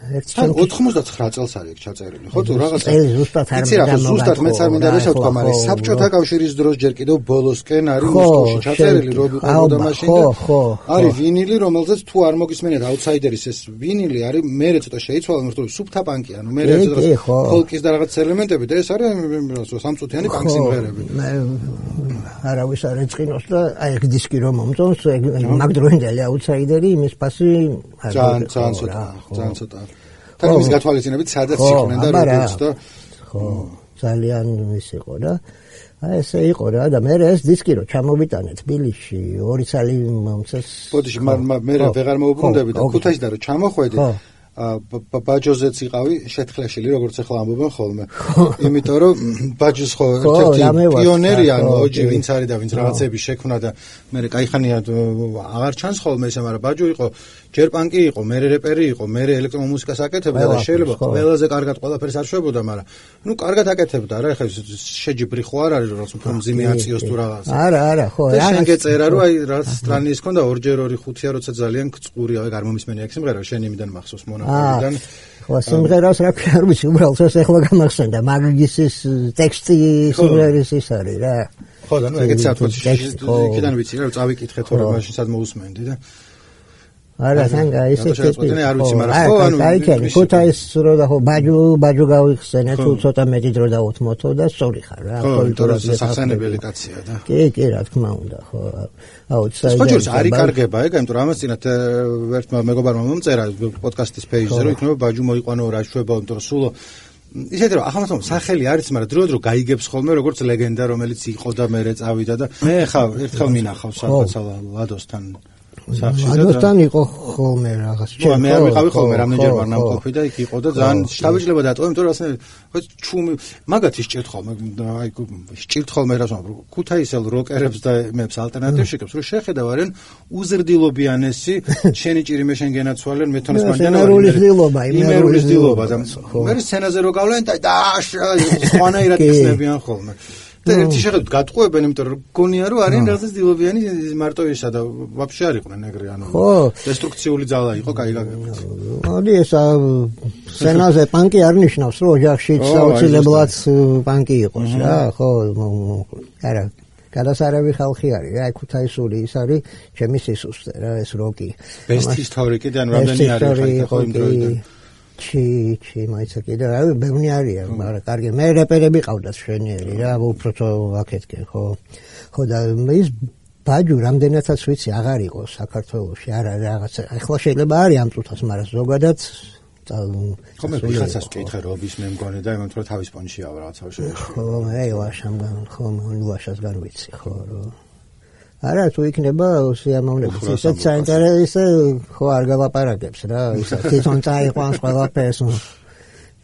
ოთხმოცდათხრა წელს არის ჩაწერილი. ხო თუ რაღაცა. წელი ზუსტად არ მინდა ზუსტად მეც არ მინდა რომ ვთქვა, მაგრამ საბჭოთა კავშირის დროს ჯერ კიდევ ბოლოსკენ არის მოსკოვში ჩაწერილი რობი ყავდა მაშინ და არის ვინილი, რომელზეც თუ არ მოგისმენთ აუთსაიდერის ეს ვინილი არის მერე ცოტა შეიცვალა, მაგრამ სუბთა პანკი, ანუ მერე ცოტა ფოლკის და რაღაც ელემენტები და ეს არის სამწუთიანი პანკ სიმღერები. არავის არ ეწყინოს და აი ეს დისკი რომ მომწონს, მაგ დროინდელი აუთსაიდერი იმის ფასი არ ძალიან ძალიან ცოტა, ძალიან ცოტა. თან ის გათვალისწინებით სადაც იყვნენ და როგორც და ხო ძალიან ის იყო და აი ესე იყო რა და მე ეს დისკი რო ჩამოვიტანე თბილისში ორი წელი მომწეს ბოდიში მე ვეღარ მოუბრუნდები და ქუთაისში და რო ჩამოხვედი ბაჯოზეც იყავი შეთხლაშილი, როგორც ახლა ამბობენ ხოლმე. იმიტომ რომ ბაჯოს ხო ერთ-ერთი პიონერია, ოჯი ვინც არის და ვინც რაღაცები შექმნა და მე კაიხანია აღარ ჩანს ხოლმე ესე, მაგრამ ბაჯო იყო ჯერ პანკი იყო, მე რეპერი იყო, მე ელექტრომუსიკას აკეთებდა და შეიძლება ყველაზე კარგად ყველაფერს არ შვებოდა, მაგრამ ნუ კარგად აკეთებდა რა, ეხლა შეჯიბრი ხო არ არის რაღაც უფრო მძიმე აციოს თუ რაღაც. არა, არა, ხო, რა. შენ გეწერა რომ აი რაღაც სტრანის ქონდა ორჯერ ორი ხუთია, როცა ძალიან წყურია, აი გამომისმენია ეგ სიმღერა, შენ იმიდან მახსოვს მონაკვეთიდან. ხო, სიმღერას რა ქვია, არ ვიცი, უბრალოდ ეს ახლა გამახსენდა, მაგისის ტექსტი სიმღერის ის არის რა. ხო და ნუ ეგეც საერთოდ იქიდან ვიცი რა, წავიკითხე თორე მაშინ სად მოусმენდი და არა სანგა ისე ტიპი არ ვიცი, მაგრამ ხო ანუ აი კი ქუთაის რო და ხო ბაჯუ ბაჯუ გავიხსენე თუ ცოტა მეტი დრო დაუთმოთო და სწორი ხარ რა კულტურაზე სახსენებელი კაცია და კი კი რა თქმა უნდა ხო აუ საერთოდ ხოჭურს არ იკარგება ეგ იმიტომ რომ ამას წინათ ერთმა მეგობარმა მომწერა პოდკასტის პეიჯზე რომ იქნება ბაჯუ მოიყვანო რა შვება იმიტომ რომ სულო ისეთ რომ ახლა მაგრამ სახელი არის მაგრამ დრო დრო გაიგებს ხოლმე როგორც ლეგენდა რომელიც იყო და მერე წავიდა და მე ხა ერთხელ მინახავს სადღაცა ლადოსთან ლადოსთან იყო ხოლმე რაღაც ჩემ მე არ ვიყავი ხოლმე რამდენჯერ ვარ ნამყოფი და იქ იყო და ძალიან შთაბეჭდილება დატოვა იმიტომ რომ ასე ჩუმი მაგათი სჭირთ ხოლმე აი სჭირთ ხოლმე რა თქმა უნდა ქუთაისელ როკერებს და მეებს ალტერნატივს შეკებს რომ შეხედავ არიან უზრდილობიანესი შენი ჭირი მე შენ გენაცვალენ მე თონეს მანდანა ვარ იმერული ძილობა და მე სცენაზე რო გავლენ და სხვანაირად იხსნებიან ხოლმე და ერთი შეხედვით გატყუებენ, იმიტომ რომ გონია რომ არიან რაღაც დილობიანი მარტო ისა და ვაფშე არ იყვნენ ეგრე, ანუ დესტრუქციული ძალა იყო, კაი გაგებით. მოდი ეს სცენაზე პანკი არ ნიშნავს, რომ ოჯახში საოცილებლად პანკი იყოს რა, ხო, არა გადასარევი ხალხი არის რა, ქუთაისული ის არის ჩემი სისუსტე რა, ეს როკი. ბესტ ისტორიკი და რამდენი არის ხო იმ დროიდან. ჩი ჩი მაიცა კიდე რა ბევრი არიან მაგრამ კარგი მე რეპერები ყავდათ შვენიერი რა უფრო აქეთკენ ხო ხო და ის ბაჯუ რამდენადაც ვიცი აღარ იყო საქართველოში არა რაღაც ახლა შეიძლება არის ამ წუთას მაგრამ ზოგადად ხო მე ვიღაცას ვკითხე რობის მე მგონი და იმან თორე თავის პონჩია რაღაცა შეიძლება ხო მე ვაშამგან ხო მე ვაშასგან ვიცი ხო რომ არა თუ იქნება სიამოვნებით ისეთ საინტერესო ხო არ გალაპარაკებს რა ის თვითონ წაიყვანს ყველაფერს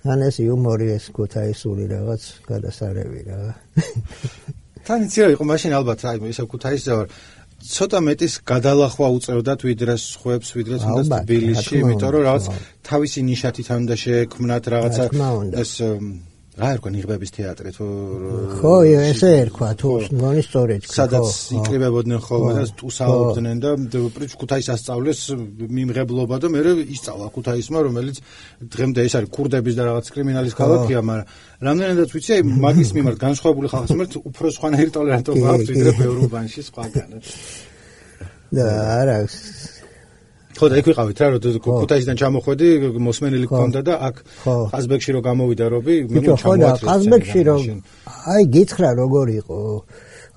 თან ეს იუმორი ეს ქუთაისული რაღაც გადასარევი რა თან იცი რა იყო მაშინ ალბათ აი ისე ქუთაისზე ვარ ცოტა მეტის გადალახვა უწევდათ ვიდრე სხვებს ვიდრე თუნდაც თბილისში იმიტომ რომ რაღაც თავისი ნიშათი თან უნდა შეექმნათ რაღაცა ეს რა ერქვა ნიღბების თეატრი თუ ხო ესე ერქვა თუ მგონი სწორედ სადაც იკრიბებოდნენ ხოლმე და ტუსაობდნენ და ქუთაის ასწავლეს მიმღებლობა და მე ისწავლა ქუთაისმა რომელიც დღემდე ეს არის ქურდების და რაღაც კრიმინალის ქალაქია მაგრამ რამდენადაც ვიცი აი მაგის მიმართ განსხვავებული ხალხის მიმართ უფრო სხვანაირი ტოლერანტობა აქვს ვიდრე ბევრ უბანში სხვაგან და არა ხო და იქ ვიყავით რა რომ ქუთაისიდან ჩამოხვედი მოსმენილი გქონდა და აქ ყაზბეგში რო გამოვიდა რობი მე მოჩამოატრეს ყაზბეგში რო აი გითხრა როგორ იყო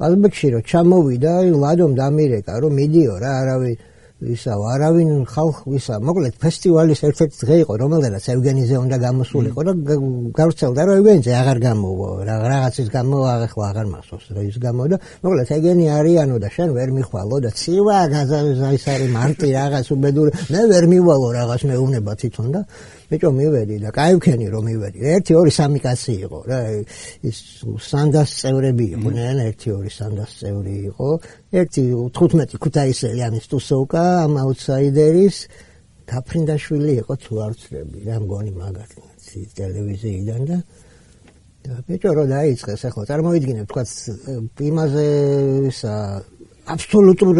ყაზბეგში რო ჩამოვიდა აი ლადომ დამირეკა რომ მიდიო რა არავინ ისა არავინ ხალხ ისა მოკლედ ფესტივალის ერთ-ერთი დღე იყო რომელდაც ევგენიზე უნდა გამოსულიყო და გავრცელდა რომ ევგენიზე აღარ გამოვა რაღაცის გამო ახლა აღარ მახსოვს რა ის გამო და მოკლედ ევგენი არიანო და შენ ვერ მიხვალო და ცივა ის არის მარტი რაღაც უბედური მე ვერ მივალო რაღაც მეუბნება თვითონ და ბიჭო მივედი და კაივქენი რომ მივედი ერთი ორი სამი კაცი იყო რა ის სანდას წევრები იყვნენ ერთი ორი სანდას წევრი იყო ერთი თხუთმეტი ქუთაისელი ამის ტუსოვკა ამ აუტსაიდერის გაფრინდაშვილი იყო თუ არ ვცდები რა მგონი მაგათი ტელევიზიიდან და და ბიჭო რო დაიწყეს ახლა წარმოვიდგინებ თქვა იმაზე ისა აბსოლუტურ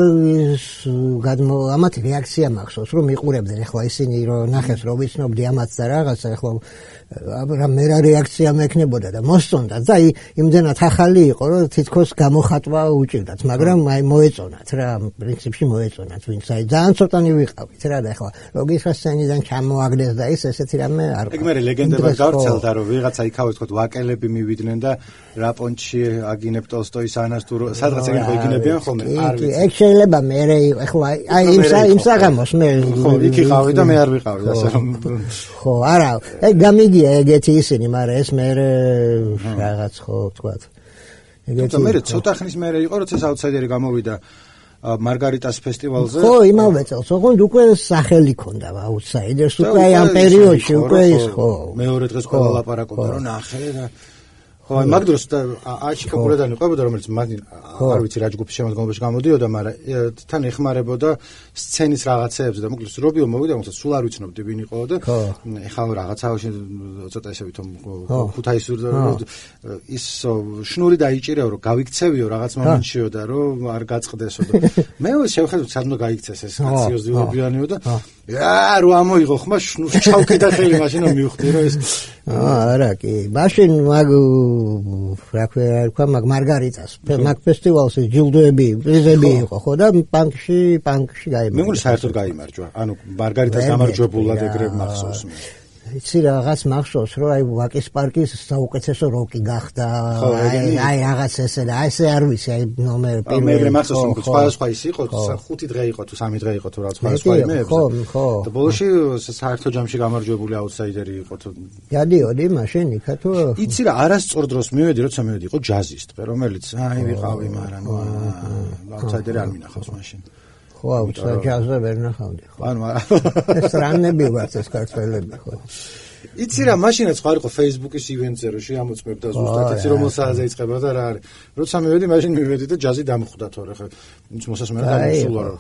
გადმო ამათი რეაქცია მახსოვს რომ მიყურებდნენ ახლა ისინი რომ ნახეს რომ ვიცნობდი ამაც და რაღაცა ახლა რა მე რა რეაქცია მექნებოდა და მოსწონდა და იმდენად ახალი იყო რომ თითქოს გამოხატვა უჭირდათ მაგრამ აი მოეწონათ რა პრინციპში მოეწონათ ვინც აი ძალიან ცოტანი ვიყავით რა და ახლა ლოგიშა სცენიდან ჩამოაგდეს და ის ესეთი რამე არ ეგ მე ლეგენდება გავრცელდა რომ ვიღაცა იქავე თქო ვაკელები მივიდნენ და რა პონჩი აგინებ ტოლსტოის ანას თუ სადღაც ეგ იგინებიან ხოლმე არ ვიცი ეგ შეიძლება მე ახლა აი იმ იმ საღამოს მე ხო იქ იყავი და მე არ ვიყავი ასე რომ ხო არა ეგ გამიგია ეგეთი ისინი მაგრამ ეს მე რაღაც ხო ვთქვათ ეგეთი მე ცოტა ხნის მერე იყო როცა აუტსაიდერი გამოვიდა მარგარიტას ფესტივალზე. ხო, იმავე წელს, ოღონდ უკვე სახელი ქონდა აუთსაიდერს, უკვე ამ პერიოდში უკვე ის ხო. მეორე დღეს ყველა ლაპარაკობდა, რომ ნახე და ხო, მაგ დროს აჩი პოპულარული ყოფილა, რომელიც მანდ არ ვიცი რა ჯგუფის შემოდგომაში გამოდიოდა, მაგრამ თან ეხმარებოდა სცენის რაღაცეებზე და მოკლედ რობიო მოვიდა, მოკლედ სულ არ ვიცნობდი ვინ იყო და ეხლა რაღაცაოში ცოტა ესე ვითომ ქუთაისური ის შნური დაიჭირეო, რომ გავიქცევიო რაღაც მომენტშიო და რომ არ გაწყდესო და მე შევხედოთ სად უნდა გაიქცეს ეს სერიოზულობიანიო და აა რო ამოიღო ხმა შნურს ჩავკიდა ხელი მაშინ რომ მივხვდი რომ ეს არა კი მაშინ მაგ რა ქვია მაგ მარგარიტას მაგ ფესტივალზე ჯილდოები პრიზები იყო ხო და პანკში პანკში გაიმარჯვა მე მგონი საერთოდ გაიმარჯვა ანუ მარგარიტას გამარჯვებულად ეგრე მახსოვს მე იცი რაღაც მახსოვს რომ აი ვაკის პარკის საუკეთესო როკი გახდა აი აი რაღაც ესე და აი ესე არ ვიცი აი ნომერ პირველი მე მახსოვს რომ სხვა სხვა ის იყო ხუთი დღე იყო თუ სამი დღე იყო თუ რა სხვა სხვა იმეებზე ხო ხო და ბოლოში საერთო ჯამში გამარჯვებული აუთსაიდერი იყო თუ გადიოდი მაშინ იქა თუ იცი რა არასწორ დროს მივედი როცა მივედი იყო ჯაზის ტყე რომელიც აი ვიყავი მაგრამ აუთსაიდერი არ მინახავს მაშინ ხო, აუთსაიდერზე ვერ ნახავდი ხო. ანუ ეს რანები ვართ ეს ქართველები ხო. იცი რა, მაშინაც ხო არ იყო Facebook-ის ივენტზე რომ შეამოწმებდა ზუსტად იცი რომ სააზე იწყება და რა არის. როცა მივედი, მაშინ მივედი და ჯაზი დამხვდა თორე ხო. ის მოსასმენად გამოსულა რომ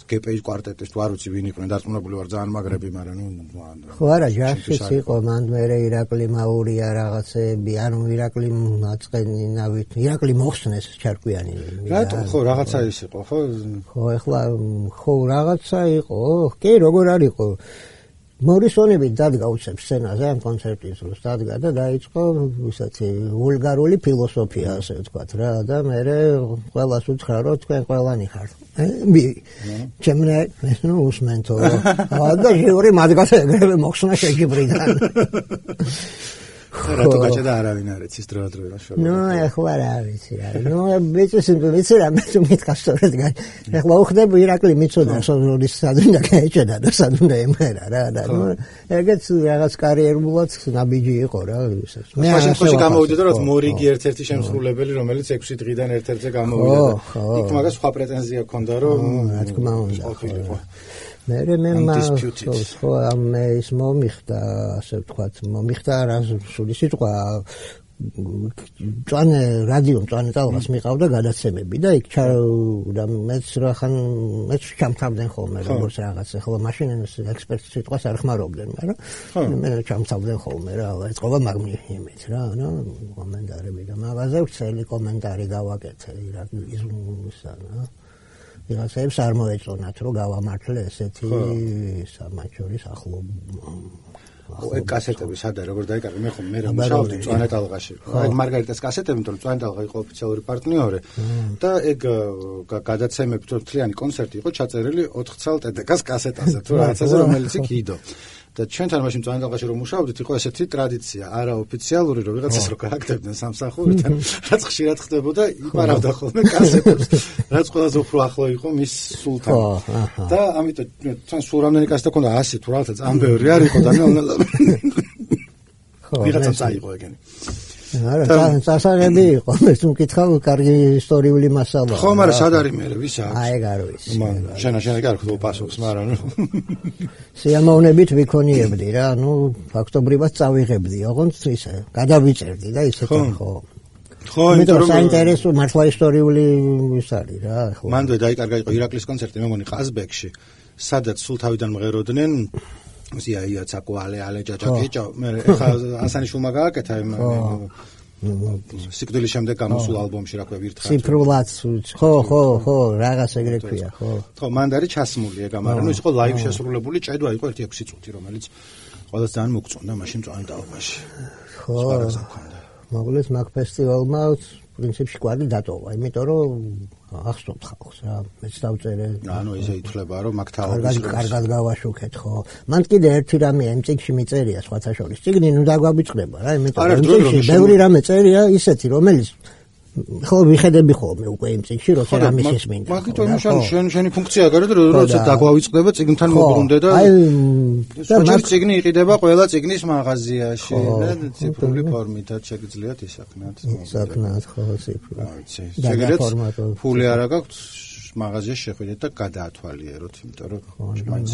გპ-ის კვარტეტის თუ არ ვიცი ვინ იყვნენ, დარწმუნებული ვარ ძალიან მაგრები, მაგრამ ნუ ხო არა, ჯაზიც იყო, მანდ მერე ირაკლი მაურია რაღაცები, ანუ ირაკლი მაწყენინავით, ირაკლი მოხსნეს ჩარკვიანი. რატომ ხო რაღაცა ის იყო, ხო? ხო, ეხლა ხო რაღაცა იყო, კი როგორ არ იყო მორისონები დადგა უცებ სცენაზე ამ კონცერტის დროს დადგა და დაიწყო ისეთი ვულგარული ფილოსოფია ასე ვთქვათ რა და მე ყველას უთხრა რომ თქვენ ყველანი ხართ მე ჩემნე ნუ უსმენთო და ჟიური მადგას ეგრევე მოხსნა შეჯიბრიდან რატო გაჭედა არავინ არ იცის დროდადრო რა შოვა ნუ ეხლა რა ვიცი რა ნუ ვიცი ვიცი რა მე თუ მითქას სწორედ ეხლა უხდები ირაკლი მიცოდა სოლის სადუნდა გაეჭედა და სადუნდა ემერა რა და ნუ ეგეც რაღაც კარიერულად ნაბიჯი იყო რა ვისაც მე მაშინ ხოში გამოვიდა რომ მორიგი ერთ-ერთი შემსრულებელი რომელიც ექვსი დღიდან ერთ-ერთზე გამოვიდა და იქ მაგას სხვა პრეტენზია ჰქონდა რომ რა თქმა უნდა მე მე მახსოვს ხო ამ ის მომიხდა ასე ვთქვათ მომიხდა რა სული სიტყვა წვანე რადიო წვანე ტალღას მიყავდა გადაცემები და იქ და მეც რახან მეც ჩამთავდნენ ხოლმე როგორც რაღაც ახლა მაშინ ექსპერტის სიტყვას არ ხმარობდნენ მაგრამ მე ჩამთავდნენ ხოლმე რა ეწყობა მაგნიმით რა ნუ კომენტარები და მაღაზე ვცელი კომენტარი გავაკეთე ირაკლისა რა ვიღაცებს არ მოეწონათ რომ გავამართლე ესეთი სამაჩორის ახლო ეგ კასეტები სადა როგორ დაიკარგე მე ხომ მე რა მუშაობდი წვანე ტალღაში ეგ მარგარიტას კასეტები იმიტომ რომ წვანე ტალღა იყო ოფიციალური პარტნიორი და ეგ გადაცემები თლიანი კონცერტი იყო ჩაწერილი ოთხ წელ ტდკ-ს კასეტაზე თუ რაღაცაზე რომელიც იქ იდო და ჩვენთან მაშინ წვანე ტალღაში რომ მუშაობდით იყო ესეთი ტრადიცია არაოფიციალური რომ ვიღაცას რო გააკეთებდნენ სამსახურიდან რაც ხშირად ხდებოდა იპარავდა ხოლმე კასეტებს რაც ყველაზე უფრო ახლო იყო მის სულთან და ამიტომ თან სულ რამდენი კასეტა ქონდა ასი თუ რაღაცა ძალიან ბევრი არ იყო და მე უნდა ვიღაცა წაიღო ეგენი არა სასაღები იყო მე თუ მკითხავ კარგი ისტორიული მასალა ხო მაგრამ სად არის მე ვის აქვს აი ეგ არ ვიცი შენა შენა კარგ ხო პასუხს მაგრამ ნუ სიამოვნებით ვიქონიებდი რა ნუ ფაქტობრივად წავიღებდი ოღონდ ისე გადავიწერდი და ისეთი ხო ხო იმიტომ რომ საინტერესო მართლა ისტორიული ის არის რა ხო მანდ დაიკარგა იყო ირაკლის კონცერტი მე მგონი ყაზბეგში სადაც სულ თავიდან მღეროდნენ ოსია იაცაკო ale ale ჯაჯაკეჭა მე ხა ასანიშვილმა გააკეთა იმ სიკვდილის შემდეგ გამოსულ ალბომში რა ქვია ვირთხარ ციფრულად ხო ხო ხო რაღაც ეგრე ქვია ხო ხო მანდ არის ჩასმული ეგ მაგრამ ნუ ის იყო ლაივ შესრულებული ჭედვა იყო ერთი ექვსი წუთი რომელიც ყველას ძალიან მოგწონდა მაშინ წვანე ტალღაში ხო მოკლედ მაგ ფესტივალმა პრინციპში კვალი დატოვა იმიტომ რომ ახსოვთ ხალხს რა მეც დავწერე ანუ ესე ითვლება რომ მაგ თაობის კარგად გავაშუქეთ ხო მან კიდე ერთი რამე იმ წიგნში მიწერია სხვათა შორის წიგნი ნუ დაგვაბიწყდება რა იმიტომ რომ ბევრი რამე წერია ისეთი რომელიც ხო ვიხედები ხოლმე უკვე იმ წიგნში როცა რამის ის მინდა მაგიტომ შენ შენი ფუნქცია გარო როცა დაგვავიწყდება წიგნთან მოbrunდე და და მაგ წიგნი იყიდება ყველა წიგნის მაღაზიაში და ციფრული ფორმითაც შეგიძლიათ ისახნათ ისახნათ ხო ციფრული შეგიძლიათ ფული არა გაქვთ მაღაზიაში შეხვიდეთ და გადაათვალიეროთ, იმიტომ რომ მაინც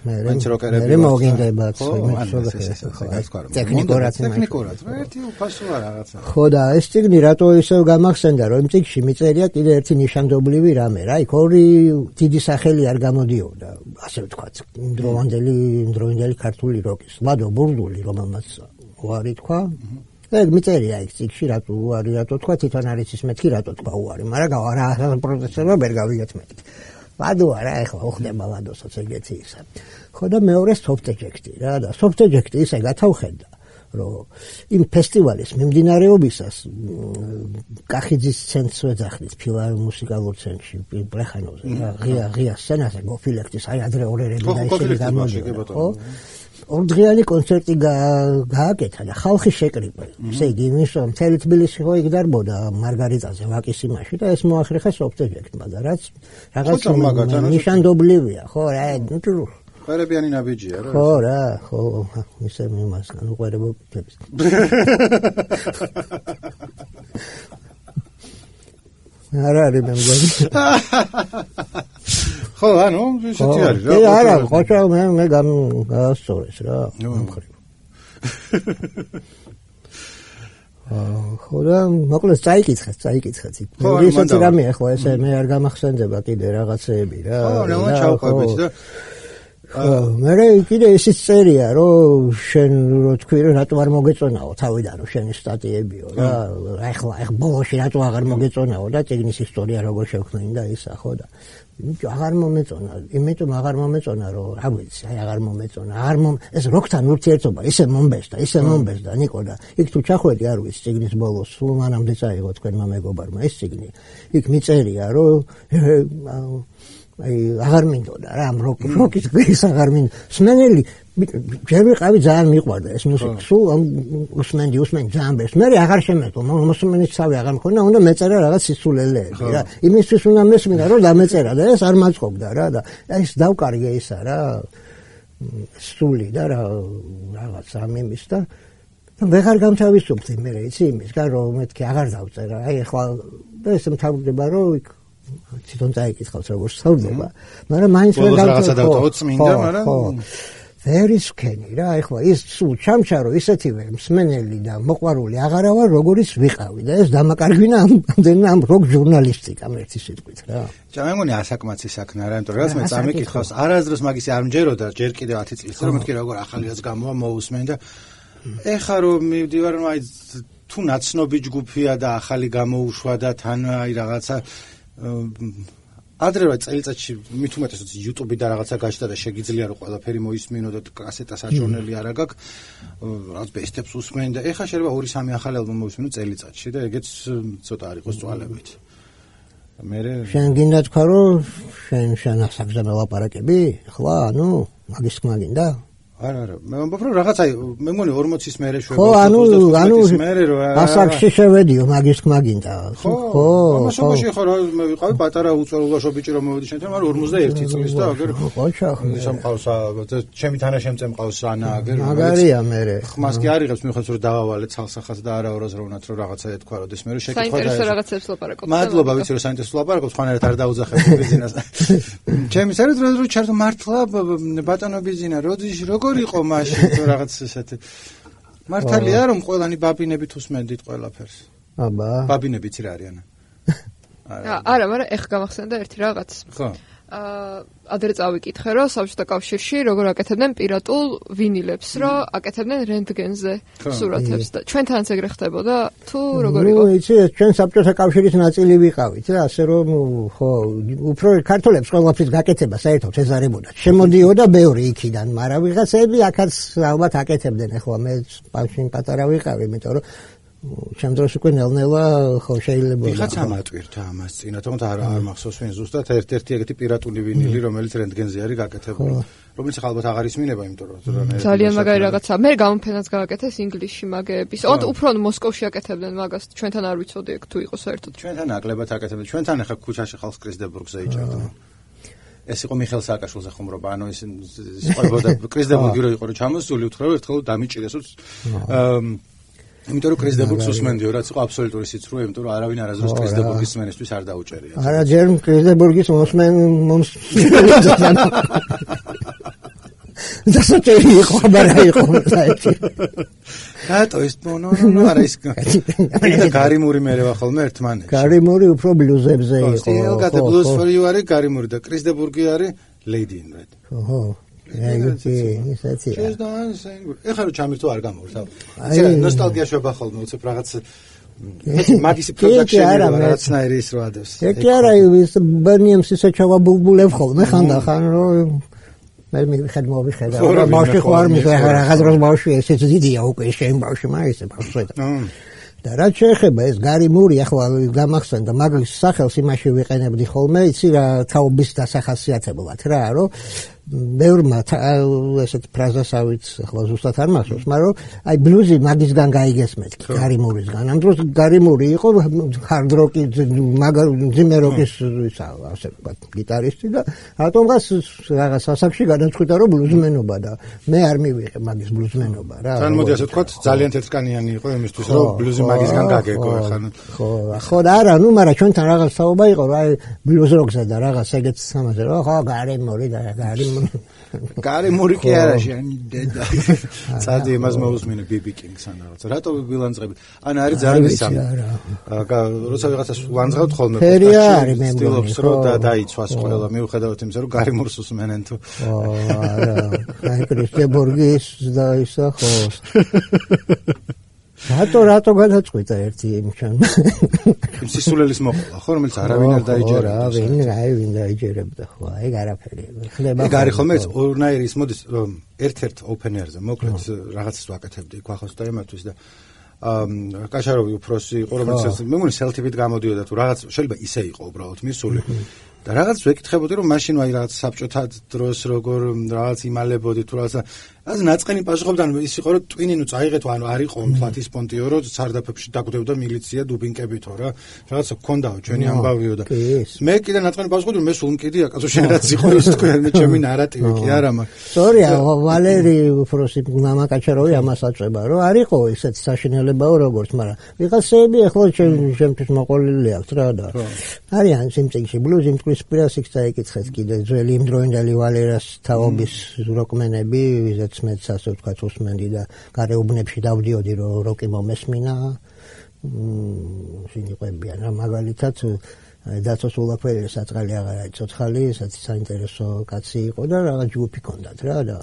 მაინც როკერები მე მოგინდებათ ტექნიკურად ტექნიკურად ერთი უფასოა რაღაცა. ხო და ეს წიგნი რატო ისევ გამახსენდა, რომ იმ წიგნში მიწერია კიდე ერთი ნიშანდობლივი რამე რა, იქ ორი დიდი სახელი არ გამოდიოდა, ასე ვთქვათ, იმდროინდელი იმდროინდელი ქართული როკის, ლადო ბურდული, რომელმაც უარი თქვა. ეგ მიწერია იქ წიგნში რატო უარი რატო თქვა, თვითონ არის ის მეთქი რატო თქვა უარი, მაგრამ რა პროცესება ვერ გავიგეთ მეთქი. ლადო არა, ეხლა უხდება ლადოსაც ეგეთი ისა. ხო და მეორე soft eject-ი რა და soft eject-ი ისე გათავხედა, რომ იმ ფესტივალის მიმდინარეობისას კახიძის ცენტრს ვეძახდით ფილარმუსიკალურ ცენტრში ბრეხანოვზე რა ღია ღია სცენაზე გოფილექტის აი ადრე ორერები და ისინი გამოდიოდა ხო ორდღიანი კონცერტი გააკეთა და ხალხი შეკრიბა ესე იგი იმის რომ მთელი თბილისი ხო იქ დარბოდა მარგარიტაზე ვაკის იმაში და ეს მოახერხა soft eject-მა და რაც რაღაც ნიშანდობლივია ხო რა ნუ ყვერებიანი ნაბიჯია რა. ხო რა, ხო, ისე მიმასგან უყვერებობებს. არა არის მე მგონი. ხო, ანუ ისეთი არის რა. არა, ხოჭა მე მე გამასწორეს რა. მომხრიფ. ხო და მოკლედ წაიკითხეთ, წაიკითხეთ. ისეთი რამეა ხო ესე მე არ გამახსენდება კიდე რაღაცეები რა. ხო, ნუ ჩავყვებით და მე კიდე ისიც წერია რომ შენ რო თქვი რომ რატო არ მოგეწონაო თავიდან რომ შენი სტატიებიო რა ახლა ახ ბოლოში რატო აღარ მოგეწონაო და წიგნის ისტორია როგორ შევქმნი და ისა ხო და აღარ მომეწონა იმიტომ აღარ მომეწონა რომ რა ვიცი აი აღარ მომეწონა არ მომ ეს როკთან ურთიერთობა ისე მომბესდა ისე მომბესდა ნიკო და იქ თუ ჩახვედი არ ვიცი წიგნის ბოლოს სულ მანამდე წაიღო თქვენმა მეგობარმა ეს წიგნი იქ მიწერია რომ აი აღარ მინდოდა რა ამ როკის გრის აღარ მინდოდა სმენელი ჯერ ვიყავი ძალიან მიყვარდა ეს მუსიკა სულ უსმენდი უსმენდი ძალიან ბეს მე აღარ შემეძლო მოსმენის თავი აღარ მქონდა უნდა მეწერა რაღაც სისულელეები რა იმისთვის უნდა მესმინა რომ დამეწერა და ეს არ მაწყობდა რა და ეს დავკარგე ისა რა სული და რა რაღაც ამ იმის და ვეღარ გამთავისუფლდი მე იცი იმისგან რომ მეთქი აღარ დავწერა აი ახლა და ეს მთავრდება რომ იქ თვითონ წაიკითხავს როგორ სწავლდება, მაგრამ მაინც ვერ რაღაცა დავტოვოთ წმინდა, მაგრამ ვერ ისქენი რა, ეხლა ის სულ ჩამჩარო ისეთივე მსმენელი და მოყვარული აღარა ვარ, როგორიც ვიყავი და ეს დამაკარგვინა ამდენი ამ როკ ჟურნალისტიკამ ერთი სიტყვით რა. ჯა მე მგონი ასაკმაცი საქმე არა, იმიტომ რომ რაც მე წამიკითხავს, არასდროს მაგისი არ მჯეროდა, ჯერ კიდევ ათი წლის წინ რომ მეთქი როგორ ახალი რაც გამოვა მოусმენ და ეხა რომ მივდივარ რომ აი თუ ნაცნობი ჯგუფია და ახალი გამოუშვა და თან აი რაღაცა ადრე რა წელიწადში მით უმეტესად YouTube და რაღაცა გაჩნდა და შეგიძლია რომ ყველაფერი მოისმინო და კასეტა საჭურნელი არა გაქვს რაც ბესტებს უსმენ და ეხა შეიძლება ორი სამი ახალი ალბომი მოისმინო წელიწადში და ეგეც ცოტა არ იყოს წვალებით მე შენ გინდა თქვა რომ შენ შენ ასაკზე მელაპარაკები ხლა ანუ მაგის თქმა გინდა არა არა მე ვამბობ რომ რაღაცა მე მგონი ორმოცის მერე შვება ხო ანუ ანუ ასაკში შევედიო მაგის თქმა გინდა ხო ხო ამასობაში ხო რა მე ვიყავი პატარა უწვეულაშო ბიჭი რომ მოვედი შენთან მაგრამ ორმოცდაერთი წლის და აგერ ხოჩა სამყავს ჩემი თანაშემწე მყავს ანა აგერ მაგარია მერე ხმას კი არიღებს მიხედავს რომ დავავალე ცალსახაც და არა ორაზროვნად რომ რაღაცა ეთქვა როდის მე რომ შეკითხვა საინტერესო რაღაცებს ლაპარაკობ მადლობა ვიცი რომ საინტერესო ლაპარაკობ ხანერად არ დაუძახებ ბიზნესს ჩემი საერთოდ რო ჩართო მართლა ბატონო ბიზნა როდის როგორ იყო მაშინ თუ რაღაც ესეთი მართალია რომ ყველანი ბაბინებით უსმენდით ყველაფერს აბა ბაბინებიც რა არიან არა არა მაგრამ ეხ გამახსენდა ერთი რაღაც ხო აა ადრე წავიკითხე რომ საბჭოთა კავშირში როგორ აკეთებდნენ პირატულ ვინილებს რომ აკეთებდნენ რენტგენზე სურათებს და ჩვენთანაც ეგრე ხდებოდა თუ როგორ იყო? ნუ იცი ჩვენ საბჭოთა კავშირის ნაწილი ვიყავით რა ასე რომ ხო უფრო ქართველებს ყველაფრის გაკეთება საერთოდ ეზარებოდა შემოდიოდა ბევრი იქიდან მაგრამ ვიღაცები აქაც ალბათ აკეთებდნენ ახლა მე ბავშვი პატარა ვიყავი იმიტომ რომ ჩემ დროს უკვე ნელ-ნელა ხო შეიძლება ვიღაც ამატვირთა ამას წინა თუმცა არ არ მახსოვს ვინ ზუსტად ერთ-ერთი ეგეთი პირატული ვინილი რომელიც რენტგენზე არის გაკეთებული რომელიც ალბათ აღარ ისმინება იმიტომ რომ ძალიან მაგარი რაღაცა მე გამოფენაც გააკეთეს ინგლისში მაგების ოღონდ უფრო მოსკოვში აკეთებდნენ მაგას ჩვენთან არ ვიცოდი ეგ თუ იყო საერთოდ ჩვენთან ნაკლებად აკეთებდნენ ჩვენთან ახლა ქუჩაში ხალხს კრისდებურგზე იჭერდნენ ეს იყო მიხეილ სააკაშვილზე ხუმრობა ანუ ეს სიყებოდა კრისდებურგი რო იყო რომ ჩამოსული უთხრა რომ ერთხელ დამიჭირეს იმიტომ რომ კრიზდებურგს უსმენდიო, რაც იყო აბსოლუტური სიცრუე, იმიტომ რომ არავინ არასდროს კრიზდებურგის სმენისთვის არ დაუჭერია. არა, ჯერ კრიზდებურგის მოსმენ დასაჭერი იყო, მაგრამ იყო საერთოდ. რატო ის ნო ნო არა ის გარიმური მერევა ხოლმე ერთმანეთში. გარიმური უფრო ბლუზებზე იყო. სტილგატე ბლუზ for you არის გარიმური და კრიზდებურგი არის Lady in Red. ოჰო. ეგეთი ისეთი. ეხლა რო ჩამირთო არ გამოვიდა. იცი ნოსტალგია შვება ხოლმე, უცებ რაღაც მაგისი პროდუქშენი რაღაცნაირი ის რო ადევს. ეგ არა ის ბერნიემს ისე ჩავაბულბულებ ხოლმე ხანდახან რომ მე მიხედ მოვიხედა რა ბავშვი ხო არ მიხედა რაღაც დროს ბავშვი ესეც დიდია უკვე შენ ბავშვი მაისე ბავშვი და რაც შეეხება ეს გარიმური ახლა გამახსენდა მაგის სახელს იმაში ვიყენებდი ხოლმე იცი რა თაობის დასახასიათებლად რა რომ ბევრმა ესეთ ფრაზასავით ახლა ზუსტად არ მახსოვს მაგრამ აი ბლუზი მაგისგან გაიგეს მეთქი გარიმურისგან ამ დროს გარიმური იყო hard rock-ი ძიმე როკის ისა ასე ვთქვათ გიტარისტი და რატომღაც რაღაც ასაკში გადაწყვიტა რომ ბლუზმენობა და მე არ მივიღე მაგის ბლუზმენობა რა თან მოდი ასე ვთქვათ ძალიან თეთრკანიანი იყო იმისთვის რომ ბლუზი მაგისგან გაგეკო ახლა ხო ხო არა ნუ მაგრამ ჩვენთან რაღაც საუბარი იყო რა აი ბლუზ როკზე და რაღაც ეგეც სამაზე რა ხო გარიმური და გარიმური გარიმური კი არა შენი დედა სადი იმას მოусმინე ბიბი კინგს ან რაღაც რატო ვილანძღებით ან არის ძალიან ისამი როცა ვიღაცას ვილანძღავთ ხოლმე სტილობს რომ და დაიცვას ყველა მიუხედავად იმისა რომ გარიმურს უსმენენ თუ არა აი კრისტებურგის და ისა ხო რატო რატო გადაწყვიტა ერთი იმჩან სისულელის მოყოლა ხო რომელიც არავინ არ დაიჯერებდა რა ვინ აი ვინ დაიჯერებდა ხო აი გარაფერი ხლება ეგ არის ხოლმე ორნაირი ის მოდის ერთ-ერთ ოპენერზე მოკლედ რაღაცას ვაკეთებდი ქვახოს და იმათვის და აა კაშაროვი უფროსი იყო რომელიც მე მგონი სელთივით გამოდიოდა თუ რაღაც შეიძლება ისე იყო უბრალოდ მისული და რაღაც ვეკითხებოდი რომ მაშინ აი რაღაც საბჭოთა დროს როგორ რაღაც იმალებოდი თუ რაღაცაאז ნაწყენი პასუხობდა ის იყო რომ ტვინი ნუ წაიღეთო ანუ არ იყო მთლად ის პონტიო რომ სარდაფებში დაგვდებდა მილიცია დუბინკებითო რა რაღაცა გქონდაო ჩვენი ამბავიო და მე კიდე ნაწყენი პასუხობდი რომ მე სულ მკიდია კაცო შენ რაც იყო ის თქვენ მე ჩემი ნარატივი კი არა მაგრამ სორია ვალერი უფროსი მამა კაჩაროვი ამას აწובה რომ არ იყო ისეთი საშინელებაო როგორც მაგრამ ვიღაცები ახლა ჩემთვის მოყოლილი აქვს რა და არიან სიმწიგში ბლუზი მტკვის პირასიქს დაიკითხეთ კიდე ძველი იმდროინდელი ვალერას თაობის როკმენები ვიზეთ მეც ასე ვთქვათ უსმენდი და გარეუბნებში დავდიოდი რომ როკი მომესმინა სინიყვებიან რა მაგალითად დაცოს ულაფელი საწყალი აღარა ცოცხალი საერთოდ საინტერესო კაცი იყო და რაღაც ჯგუფი ჰქონდათ რა და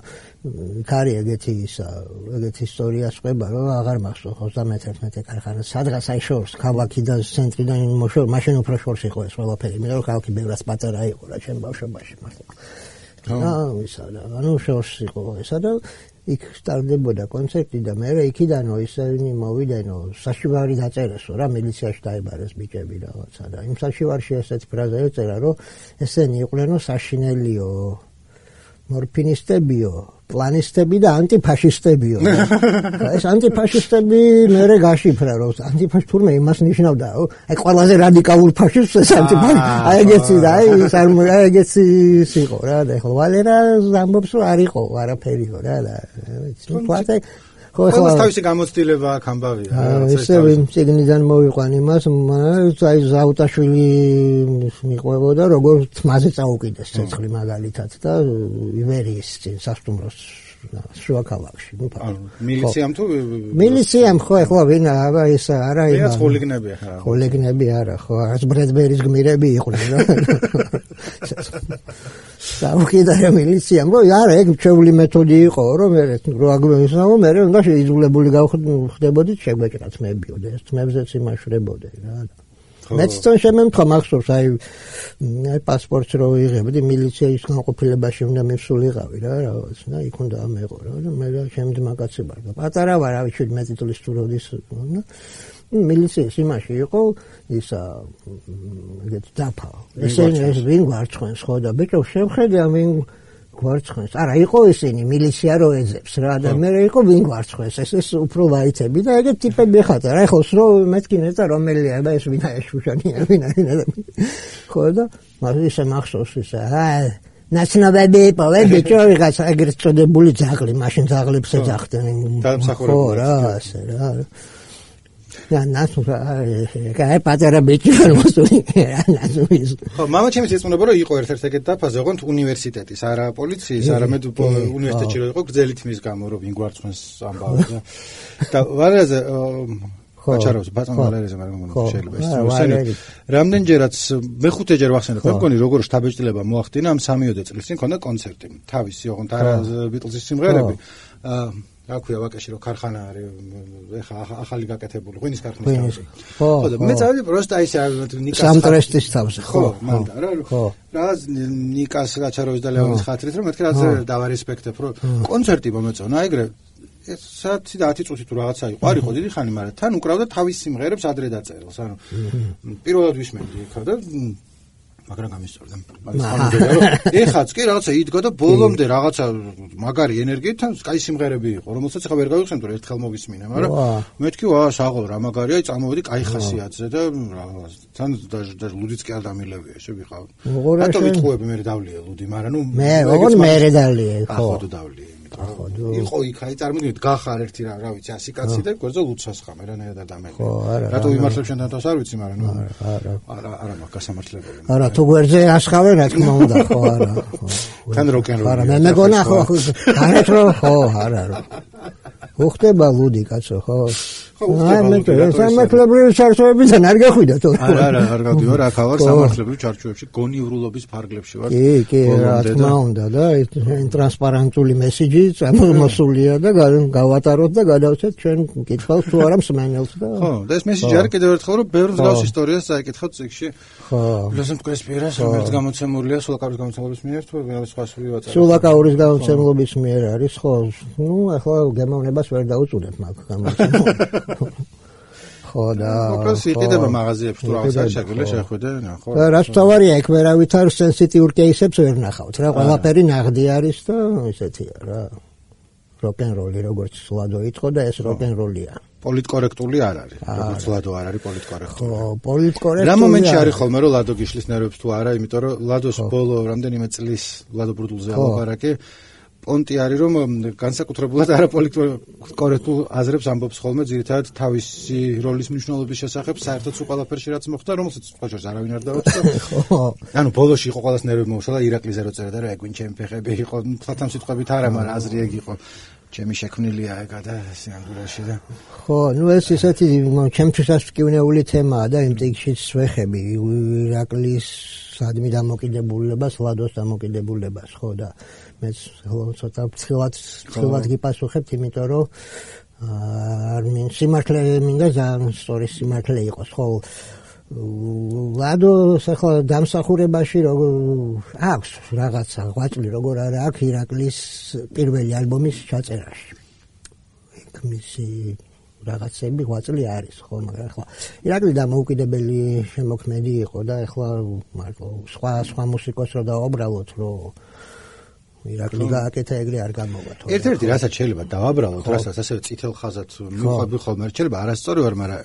კარი ეგეთი ისა ეგეთი ისტორია სყვება რომ აღარ მახსოვს ოცდამეთერთმეტე ქარხანა სადღაც აი შორს ქალაქიდან ცენტრიდან მოშორ მაშინ უფრო შორს იყო ეს ყველაფერი მე რომ ქალაქი ბევრად პატარა იყო რა ჩემ ბავშვობაში მართლა აა ისა და ანუ შორს იყო ესა და იქ სტარდებოდა კონცერტი და მე იქიდანო ისინი მოვიდანო საშივარი დაწერესო რა მილიციაში დაიბარეს ბიჭები რაღაცა და იმ საშივარში ესეთ ფრაზა ეწერა რომ ესენი იყვნენ საშინელიო მორფინისტებიო პლანისტები და ანტიფაშისტებიო ეს ანტიფაშისტები მერე გაშიფრა რომ ანტიფაშ თურმე იმას ნიშნავდა აი ყველაზე რადიკალურ ფაშისტს ეს ანტიფაშ აი ეგეთი და აი ეს არ ეგეთი იყო რა და ხო ვალერა ამბობს რომ არ იყო არაფერიო რა და თვათე ხო ხო თავისი გამოცდილება აქ ამბავია ესე ვინ ციგნიდან მოვიყვან იმას აი ზაუტაშვილი მიყვებოდა როგორ თმაზე წაუკიდეს ცეცხლი მაგალითად და ივერიის წინ სასტუმროს შუა ქალაქში ნუ მილიციამ თუ მილიციამ ხო ეხლა ვინ აბა ეს არა იმას ხოლიგნები ხა ხოლიგნები არა ხო არც ბრედბერის გმირები იყვნენ რა საუკიდა მილიციამ რო არა ეგ ჩვეული მეთოდი იყო რომ მე რო აგმესაო მე უნდა შეიძულებული გავხდებოდი შეგვეჭრა თმებიო და ეს თმებზეც იმაშვრებოდი რა მეც თვითონ შემემთხვა მახსოვს აი აი პასპორტს რო ვიღებდი მილიციის განყოფილებაში უნდა მივსულიყავი რა რაღაც და იქ უნდა ამეყო რა და მე შემდგომ კაცი ვარ და პატარა ვარ ავი შვიდმეტი წლის თუ როდის მილიციის იმაში იყო ისა ეგეთ დაფა ესენი ეს ვინ გვარცხენს ხო და ბიჭო შევხედე ვინ გვარცხენს არა იყო ისინი მილიცია რო ეძებს რა და მე იყო ვინ გვარცხენს ეს ეს უფრო ვაიცები და ეგეთ ტიპები ხარ რა ეხოს რო მეთქი ნეცა რომელია და ეს ვინ არის შუშანია ვინ არის ხო და მაგრამ ისე მახსოვს ისა აი ნაცნობები პოვე ბიჭო ვიღაცა ეგრეთ წოდებული ძაღლი მაშინ ძაღლებს ეძახდნენ ხო რა ასე რა და ნასუ კაი პატარა ბიჭი ვარ მოსული ნასუ ის ხო მამა ჩემს ეცნობა რომ იყო ერთ-ერთ ეგეთ დაფაზე ოღონდ უნივერსიტეტის არა პოლიციის არამედ უნივერსიტეტში რომ იყო გრძელი თმის გამო რომ ვინ გვარცხვენს ამბავი და ვარაზე აჩარავს ბატონ ვალერეზე მაგრამ მგონი შეიძლება ეს მოსენო რამდენჯერაც მეხუთეჯერ ვახსენე ხო მგონი როგორ შთაბეჭდილება მოახდინა ამ სამიოდე წლის წინ ქონდა კონცერტი თავისი ოღონდ არა ბიტლზის სიმღერები რა ქვია ვაკეში რომ ქარხანა არის ეხა ახალი გაკეთებული ღვინის ქარხნის თავზე ხო და მე წავედი პროსტა ის ნიკას სამტრესტის თავზე ხო მანდა რა რა ნიკას გაჩაროვის და ლეონის ხათრით რომ მეთქე რა დავარესპექტებ რომ კონცერტი მომეწონა ეგრე საათი და ათი წუთი თუ რაღაცა იყო არ იყო დიდი ხანი მაგრამ თან უკრავდა თავის სიმღერებს ადრე დაწერილს ანუ პირველად ვისმენდი ხა და მაგრამ გამისწორდა მაგის ხანდა რომ ეხაც კი რაღაცა იდგა და ბოლომდე რაღაცა მაგარი ენერგიით თან კაი სიმღერები იყო რომელსაც ახლა ვერ გავიხსენებ რომ ერთხელ მოვისმინე მაგრამ მეთქი ვა საღოლ რა მაგარია აი წამოვედი კაი ხასიათზე და თან და ლუდიც კი არ დამილევია შევიყავ რატო ვიტყუები მე დავლია ლუდი მაგრამ ნუ მე ოღონდ მე დავლია ხო ხო დავლია იყო იქ აი წარმოგიდგენთ გახარ ერთი რა რა ვიცი ასი კაცი და გვერდზე ლუცას ხა მე რანაირად დამეყე რატო ვიმართლებ შენთან თავს არ ვიცი მაგრამ ნუ არა არა არა მაგ გასამართლებელი არა თუ გვერდზე ასხავენ რა თქმა უნდა ხო არა თან როკენროლი არა მე მეგონა ხო არეთ რომ ხო არა რა უხდება ლუდი კაცო ხო ხო უხდება სამართლებრივი ჩარჩოებიდან არ გახვიდა თო არა არა არ გავდიო რა ხავარ სამართლებრივ ჩარჩოებში გონიურულობის ფარგლებში ვარ კი კი რა თქმა უნდა და ტრანსპარენტული მესიჯი წარმოსულია და გავატაროთ და გადავცეთ ჩვენ კითხავს თუ არა მსმენელს და ხო და ეს მესიჯი არის კიდევ ერთხელ რომ ბევრ მსგავს ისტორიას წაიკითხავთ წიგში ხო ლოსენ მკრესპიერას რომელიც გამოცემულია სულაკაურის გამოცემლობის მიერ თუ რაღაც სხვა სული ვაწარ სულაკაურის გამოცემლობის მიერ არის ხო ნუ ახლა გემოვნებას ვერ დაუწუნებ მაგ გამოცემლობას ხო და უბრალოდ იყიდება მაღაზიებში თუ რაღაცა შეგვიძლია შეხვიდე ხო და რაც თავარია იქ ვერავითარ სენსიტიურ კეისებს ვერ ნახავთ რა ყველაფერი ნაღდი არის და ისეთია რა როკენროლი როგორც ლადო იტყო და ეს როკენროლია პოლიტკორექტული არ არის როგორც ლადო არ არის პოლიტკორექტული ხო პოლიტკორექტული რა მომენტში არის ხოლმე რომ ლადო გიშლის ნერვებს თუ არა იმიტომ რომ ლადოს ბოლო რამდენიმე წლის ლადო ბრუდულზე ალაპარაკი პონტი არის რომ განსაკუთრებულად არაპოლიტკორექტულ აზრებს ამბობს ხოლმე ძირითადად თავისი როლის მნიშვნელობის შესახებ საერთოდ სულ ყველაფერში რაც მოხდა რომელსაც ხოჭორს არავინ არ დაუწყდა ხო ანუ ბოლოში იყო ყველას ნერვები მოუშლა ირაკლიზე რო წერდა რა ეგვინ ჩემი ფეხები იყო თვალთან სიტყვებით არა მაგრამ აზრი ეგ იყო ჩემი შექმნილია ეგა და სიანგულეში და ხო ნუ ეს ისეთი ჩემთვისაც მკვნეული თემაა და იმ ტექსტშიც ვეხები ირაკლის სადმი დამოკიდებულებას ლადოს დამოკიდებულებას ხო და მეც ცოტა ფცილად ფცილად გიპასუხებთ იმიტომ რომ არ მინ სიმართლე მინდა ძალიან სწორი სიმართლე იყოს ხო ლადოს ახლა დამსახურებაში როგორ აქვს რაღაცა ღვაწლი როგორ არა აქვს ირაკლის პირველი ალბომის ჩაწერაში იქ მისი რაღაცები ღვაწლი არის ხო მაგრამ ახლა ირაკლი დამოუკიდებელი შემოქმედი იყო და ახლა მარტო სხვა სხვა მუსიკოს რო დაუბრალოთ რომ ირაკლი გააკეთა ეგრე არ გამოვა თორე ერთ-ერთი რასაც შეიძლება დავაბრალოთ რასაც ასევე წითელ ხაზად მიყვები ხოლმე შეიძლება არასწორი ვარ მაგრამ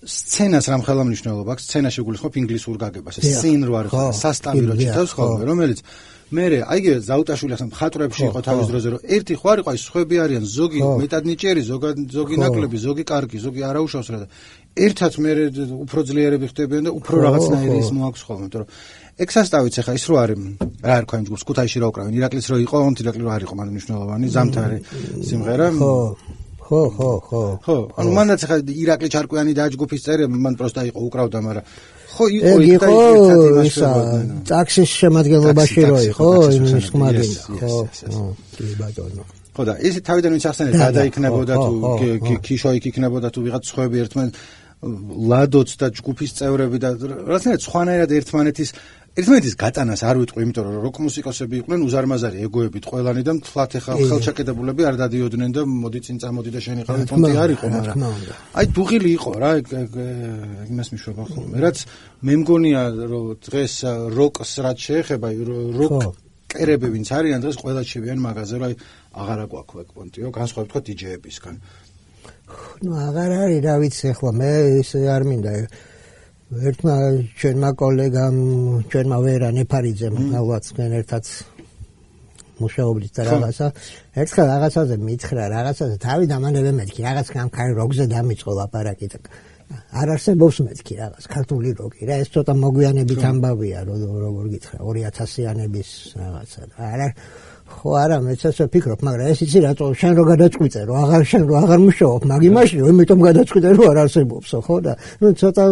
სცენას რამ ხელა მნიშვნელობა აქვს სცენაში გულისხმობ ინგლისურ გაგებას ეს სინ რო არის სასტავი რო ჩითავს ხოლმე რომელიც მე აიგე ზაუტაშვილი ახლა მხატვრებში იყო თავის დროზე რომ ერთი ხო არ იყო აი სხვები არიან ზოგი მეტად ნიჭიერი ზოგი ნაკლები ზოგი კარგი ზოგი არაუშავს რა და ერთად მე უფრო ძლიერები ხდებიან და უფრო რაღაცნაირი ის მოაქვს ხოლმე იმიტომ რომ ეგ სასტავიც ახლა ის რო არის რა არ ქვია იმ ჯგუფს ქუთაისში რა უკრავენ ირაკლის რო იყო ოღონდ ირაკლი რო არ იყო მაგრამ მნიშვნელოვანი ზამთარი სიმღერა ხო ხო ხო ხო ხო ანუ მანდაც ახლა ირაკლი ჩარკვიანი და ჯგუფის წერი მან პროსტა იყო უკრავდა მაგრამ ხო იყო იქ და ისა ტაქსის შემადგენლობაში რო იყო იმის ხმაგინდა ხო კი ბატონო ხო და ის თავიდან ვინც ახსენეთ გადაიქნებოდა თუ ქიშო იქ იქნებოდა თუ ვიღაც სხვები ერთმან ლადოც და ჯგუფის წევრები და რაღაცნაირად სხვანაირად ერთმანეთის ერთმანეთის გატანას არ ვიტყვი იმიტომ რომ როკ მუსიკოსები იყვნენ უზარმაზარი ეგოებით ყველანი და მთლად ახლა ხელჩაკეტებულები არ დადიოდნენ და მოდი წინ წამოდი და შენი ხალხი პონტი არ იყო მაგრამ აი დუღილი იყო რა იმას მიშვება ხოლმე რაც მე მგონია რომ დღეს როკს რაც შეეხება როკ კერები ვინც არიან დღეს ყველა შევიან მაღაზიაზე რომ აი აღარა გვაქვს ეგ პონტიო განსხვავებით თქვა დიჯეებისგან ნუ აღარ არის რა ვიცი ახლა მე ის არ მინდა ერთმა ჩვენმა კოლეგამ ჩვენმა ვერა ნეფარიძემ ალბათ თქვენ ერთად მუშაობდით და რაღაცა ერთხელ რაღაცაზე მითხრა რაღაცაზე თავი დამანებე მეთქი რაღაც გამქარი როგზე დამიწყო ლაპარაკი და არ არსებობს მეთქი რაღაც ქართული როკი რა ეს ცოტა მოგვიანებით ამბავია როგორ გითხრა ორი ათასიანების რაღაცა არა ხო არა მეც ასე ვფიქრობ მაგრამ ეს იცი რატო შენ რო გადაწყვიტე რომ აღარ შენ რო აღარ მუშაობ მაგი მაშინ იმიტომ გადაწყვიტე რომ არ არსებობსო ხო და ნუ ცოტა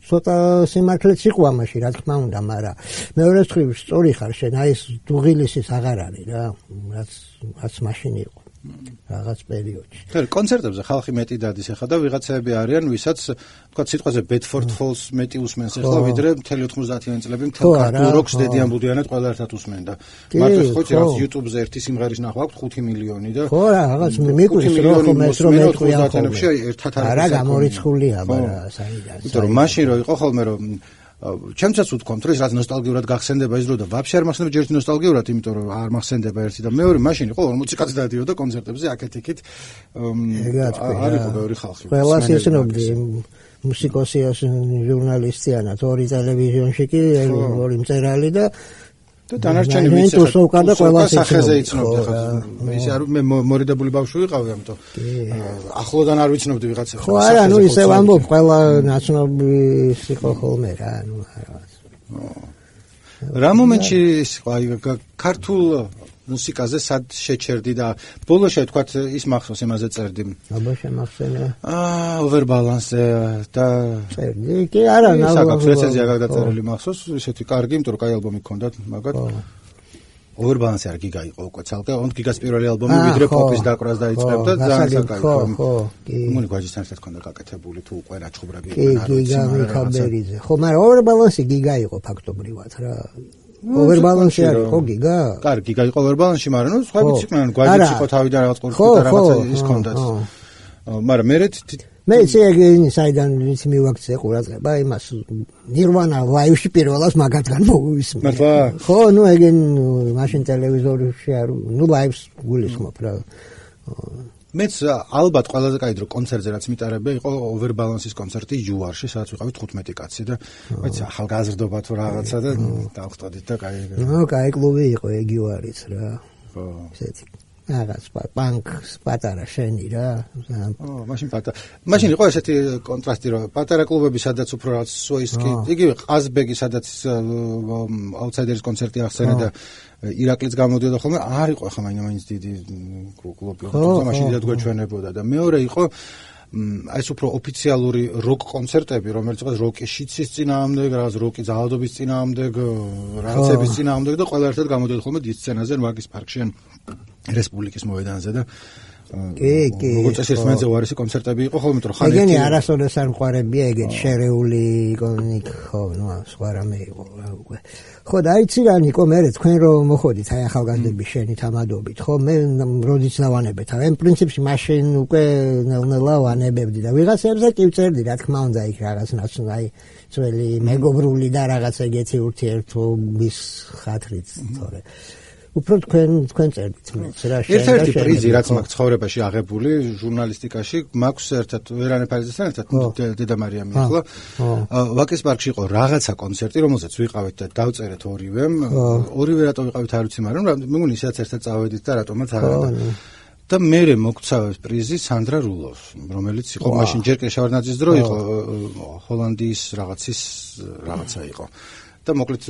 ცოტა სიმართლეც იყო ამაში რა თქმა უნდა მაგრამ მეორე მხრივ სწორი ხარ შენ აი ეს დუღილისის აღარ არის რა რაც რაც მაშინ იყო რაღაც პერიოდში. თორე კონცერტებზე ხალხი მეტი დადის ახლა და ვიღაცები არიან, ვისაც თქვა სიტყვაზე Bedford Falls მეტი usmens ახლა ვიდრე მთელი ოთხმოცდაათიანი წლები მთელ ქართულ როკს დედიან ბუდიანად ყველა ერთად უსმენ და მართლა ხო იცი რაღაც YouTube-ზე ერთი სიმღერის ნახვა აქვს ხუთი მილიონი და ხო რა რაღაც მიკვრის რო ხომ ეს რომ მეტყვია ოთხმოცდაათიანებში ერთად არის არა გამორიცხულია მაგრამ საიდან იმიტომ რომ მაშინ რო იყო ხოლმე რომ ჩემცაც ვთქვამთ რომ ეს რაც ნოსტალგიურად გახსენდება ის დრო და ვაფშე არ მახსენდება ჯერ ნოსტალგიურად იმიტომ რომ არ მახსენდება ერთი და მეორე მაშინ იყო ორმოცი კაცი დადიოდა კონცერტებზე აქეთ-იქით არ იყო ბევრი ხალხი ყველას ისნობდი მუსიკოსი ჟურნალისტიანად ორი ტელევიზიონში კი ორი მწერალი და და დანარჩენი ვიცი და ყველა სახეზე იცნობდი ხა ის არ მე მორიდებული ბავშვი ვიყავი ამიტომ ახლოდან არ ვიცნობდი ვიღაცა ხო არა ნუ ისე ვამბობ ყველა ნაცნობი იყო ხოლმე რა ნუ რა მომენტში აი ქართულ მუსიკაზე სად შეჩერდი და ბოლოში თქვათ ის მახსოვს იმაზე წერდი აბა შემახსენე აა overbalance და წერდი კი არა საკაც რეცენზია გადაწერილი მახსოვს ისეთი კარგი იმიტომ რომ კაი ალბომი გქონდათ მაგათ overbalance არ გიგა იყო უკვე ცალკე on გიგას პირველი ალბომი ვიდრე pop-ის დაკვრას დაიწყებდა ძალიან საკაი ხო ხო კი მუნი გვაჯისთან ერთად ქონდა გაკეთებული თუ უკვე რა ჩხუბრები იყვნენ არ ვიცი მაგრამ ხაბერიზე ხო მაგრამ overbalance გიგა იყო ფაქტობრივად რა overbalance არის ხო გიგა? კარგი გიგა იყო overbalance-ში, მაგრამ ნუ სხვაებიც იყვნენ, გვაჯიც იყო თავიდან რაღაც ყურსი და რაღაცა ის ქონდათ. მაგრამ მე მე შეიძლება საიდან ვიცი მივაქცე ყურადღება იმას Nirvana live-ში პირველად მაგათგან მოვისმე. მართლა? ხო, ნუ ეგენ მაშინ ტელევიზორში არ ნუ live-ს გულისხმობ რა. მეც ალბათ ყველაზე კაი დრო კონცერტზე რაც მიტარებია იყო overbalance-ის კონცერტი იუარში, სადაც ვიყავით თხუთმეტი კაცი და მეც ახალგაზრდობა თუ რაღაცა და დავხტოდით და კაი. ნუ კაი კლუბი იყო ეგ იუარიც რა. ხო. ესეთი რაღაც პანკ პატარა შენი რა. ო, მაშინ პატარა. მაშინ იყო ესეთი კონტრასტი რომ პატარა კლუბები სადაც უფრო რაღაც სოისკი, იგივე ყაზბეგი სადაც აუთსაიდერის კონცერტი ახსენე და ირაკლიც გამოდიოდა ხოლმე, არ იყო ახლა მაინც დიდი კლუბი, თუმცა მაშინ დიდად გვეჩვენებოდა და მეორე იყო აი ეს უფრო ოფიციალური როკ კონცერტები, რომელიც იყო როკის შიცის წინააღმდეგ, რაღაც როკის ძალადობის წინააღმდეგ, რაღაცების წინააღმდეგ და ყველა ერთად გამოდიოდა ხოლმე დიდ სცენაზე, მაგის პარკში ან რესპუბლიკის მოედანზე და კი, კი. როგორც ეს ერთმანეთზე უარესი კონცერტები იყო ხოლმე, რომ ხან ეგენი არასოდეს არ მყარებია ეგეთ შერეული იკონიკ ხო, ნუ სხვა რამე იყო რა უკვე. ხო და აიცი რა ნიკო მე თქვენ რომ მოხოდით აი ახალგაზრდების შენით ამადობით ხო მე როდესაც დავანებეთ აი პრინციპში მაშინ უკვე ნელ-ნელა ვანებებდი და ვიღაცებზე კი ვწერდი რა თქმა უნდა იქ რაღაც ნაცნაი ძველი მეგობრული და რაღაც ეგეთი ურთიერთობის ხათრით თორე უფრო თქვენ თქვენ წერდით მეც რა შეიძლება ერთ-ერთი პრიზი რაც მაქვს ცხოვრებაში აღებული ჟურნალისტიკაში მაქვს ერთად ვერანე ფარიზესთან ერთად დედა მარიამი ახლა ვაკის პარკში იყო რაღაცა კონცერტი რომელზეც ვიყავით და დავწერეთ ორივემ ორივე რატო ვიყავით არ ვიცი მაგრამ მეგონი ისედაც ერთად წავედით და რატომაც არა და მე მოგცა პრიზი სანდრა რულოს რომელიც იყო მაშინ ჯერ კი შავარდნაძის დრო იყო ჰოლანდიის რაღაცის რაღაცა იყო და მოკლედ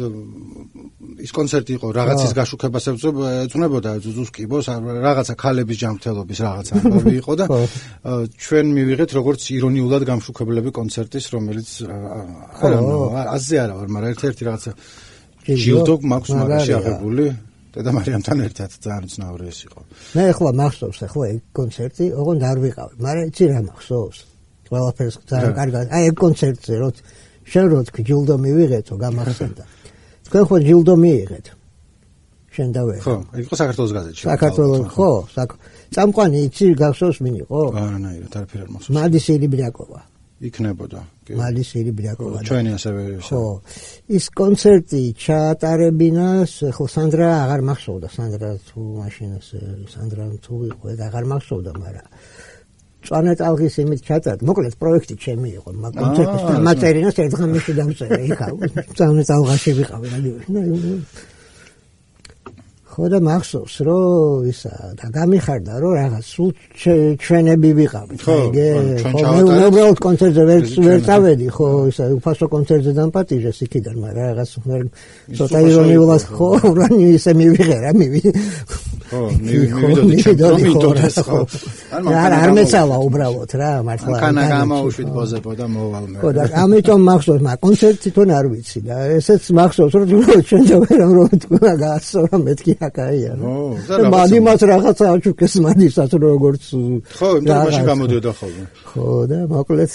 ის კონცერტი იყო რაღაცის გაშუქებას ეძღვნებოდა ზუზუს კიბოს რაღაცა ქალების ჯანმრთელობის რაღაცა ამბავი იყო და ჩვენ მივიღეთ როგორც ირონიულად გამშუქებლები კონცერტის რომელიც არა აზე არა ვარ მაგრამ ერთ-ერთი რაღაცა ჯილდო მაქვს მაგაში აღებული დედა მარიამთან ერთად ძალიან ცნაური ეს იყო მე ახლა მახსოვს ახლა ეგ კონცერტი ოღონდ არ ვიყავი მაგრამ იცი რა მახსოვს ყველაფერს ძალიან კარგად აი ეგ კონცერტზე რო შენ რო თქვი ჯილდო მივიღეთო გამახსენდა თქვენ ხო ჯილდო მიიღეთ შენ დავე ხო ეგ იყო საქართველოს გაზეთში საქართველოს ხო წამყვანი იცი გახსოვს ვინ იყო არანაირად არაფერ არ მახსოვს მადისილი ბრიაკოვა იქნებოდა კი მადისილი ბრიაკოვა ჩვენი ასევე ხო ის კონცერტი ჩაატარებინას ხო სანდრა აღარ მახსოვდა სანდრა თუ მაშინ სანდრა თუ იყო ეგ აღარ მახსოვდა მაგრამ წვანე ტალღის იმით ჩატარდა. მოკლედ პროექტი ჩემი იყო. მაგ კონცერტის მატერინას ერთ ღამეში დავწერე იქა. წვანე ტალღაში ვიყავი. ხო და მახსოვს რომ ისა და გამიხარდა რომ რაღაც სულ ჩვენები ვიყავით ეგე ხო მე უბრალოდ კონცერტზე ვერ ვერ წავედი ხო ისა უფასო კონცერტზე დამპატიჟეს იქიდან მაგრამ რაღაც ცოტა ირონიულად ხო რანი ისე მივიღერა მივი ხო მივიდოდი ჩემპიონიტოს ხო არ არ მეცალა უბრალოდ რა მართლა კანა გამაუშვით ბოზებო და მოვალ მე ხო და ამიტომ მახსოვს მაგ კონცერტი თვითონ არ ვიცი და ესეც მახსოვს რომ ჩვენ დავერამ რომ თქვა გაასწორა მეთქი აკაია ხო და მადიმას რაღაცა აჩუქეს მადისაც როგორც ხო იმაში გამოდიოდა ხოლმე ხო და მოკლედ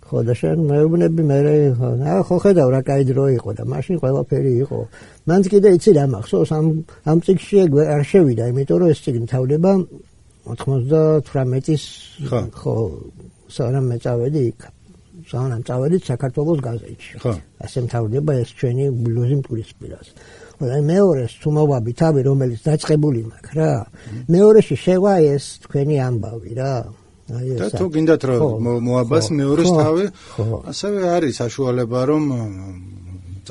ხო და შენ მეუბნები მე რა ხო ხედავ რა კაი დრო იყო და მაშინ ყველაფერი იყო მანც კიდე იცი რა მახსოვს ამ ამ წიგნში არ შევიდა იმიტომ რომ ეს წიგნი თავდება ოცდათვრამეტის ხო სანამ მეწავედი იქ სანამ წავედი საქართველოს გაზეთში ხო ასე მთავრდება ეს ჩვენი ბლუზი მტკვრისპირას და მეორეს თუ მოვაბი თავი რომელიც დაწყებული მაქვს რა მეორეში შევა ეს თქვენი ამბავი რა და თუ გინდათ რომ მოაბას მეორეს თავი ასევე არის საშუალება რომ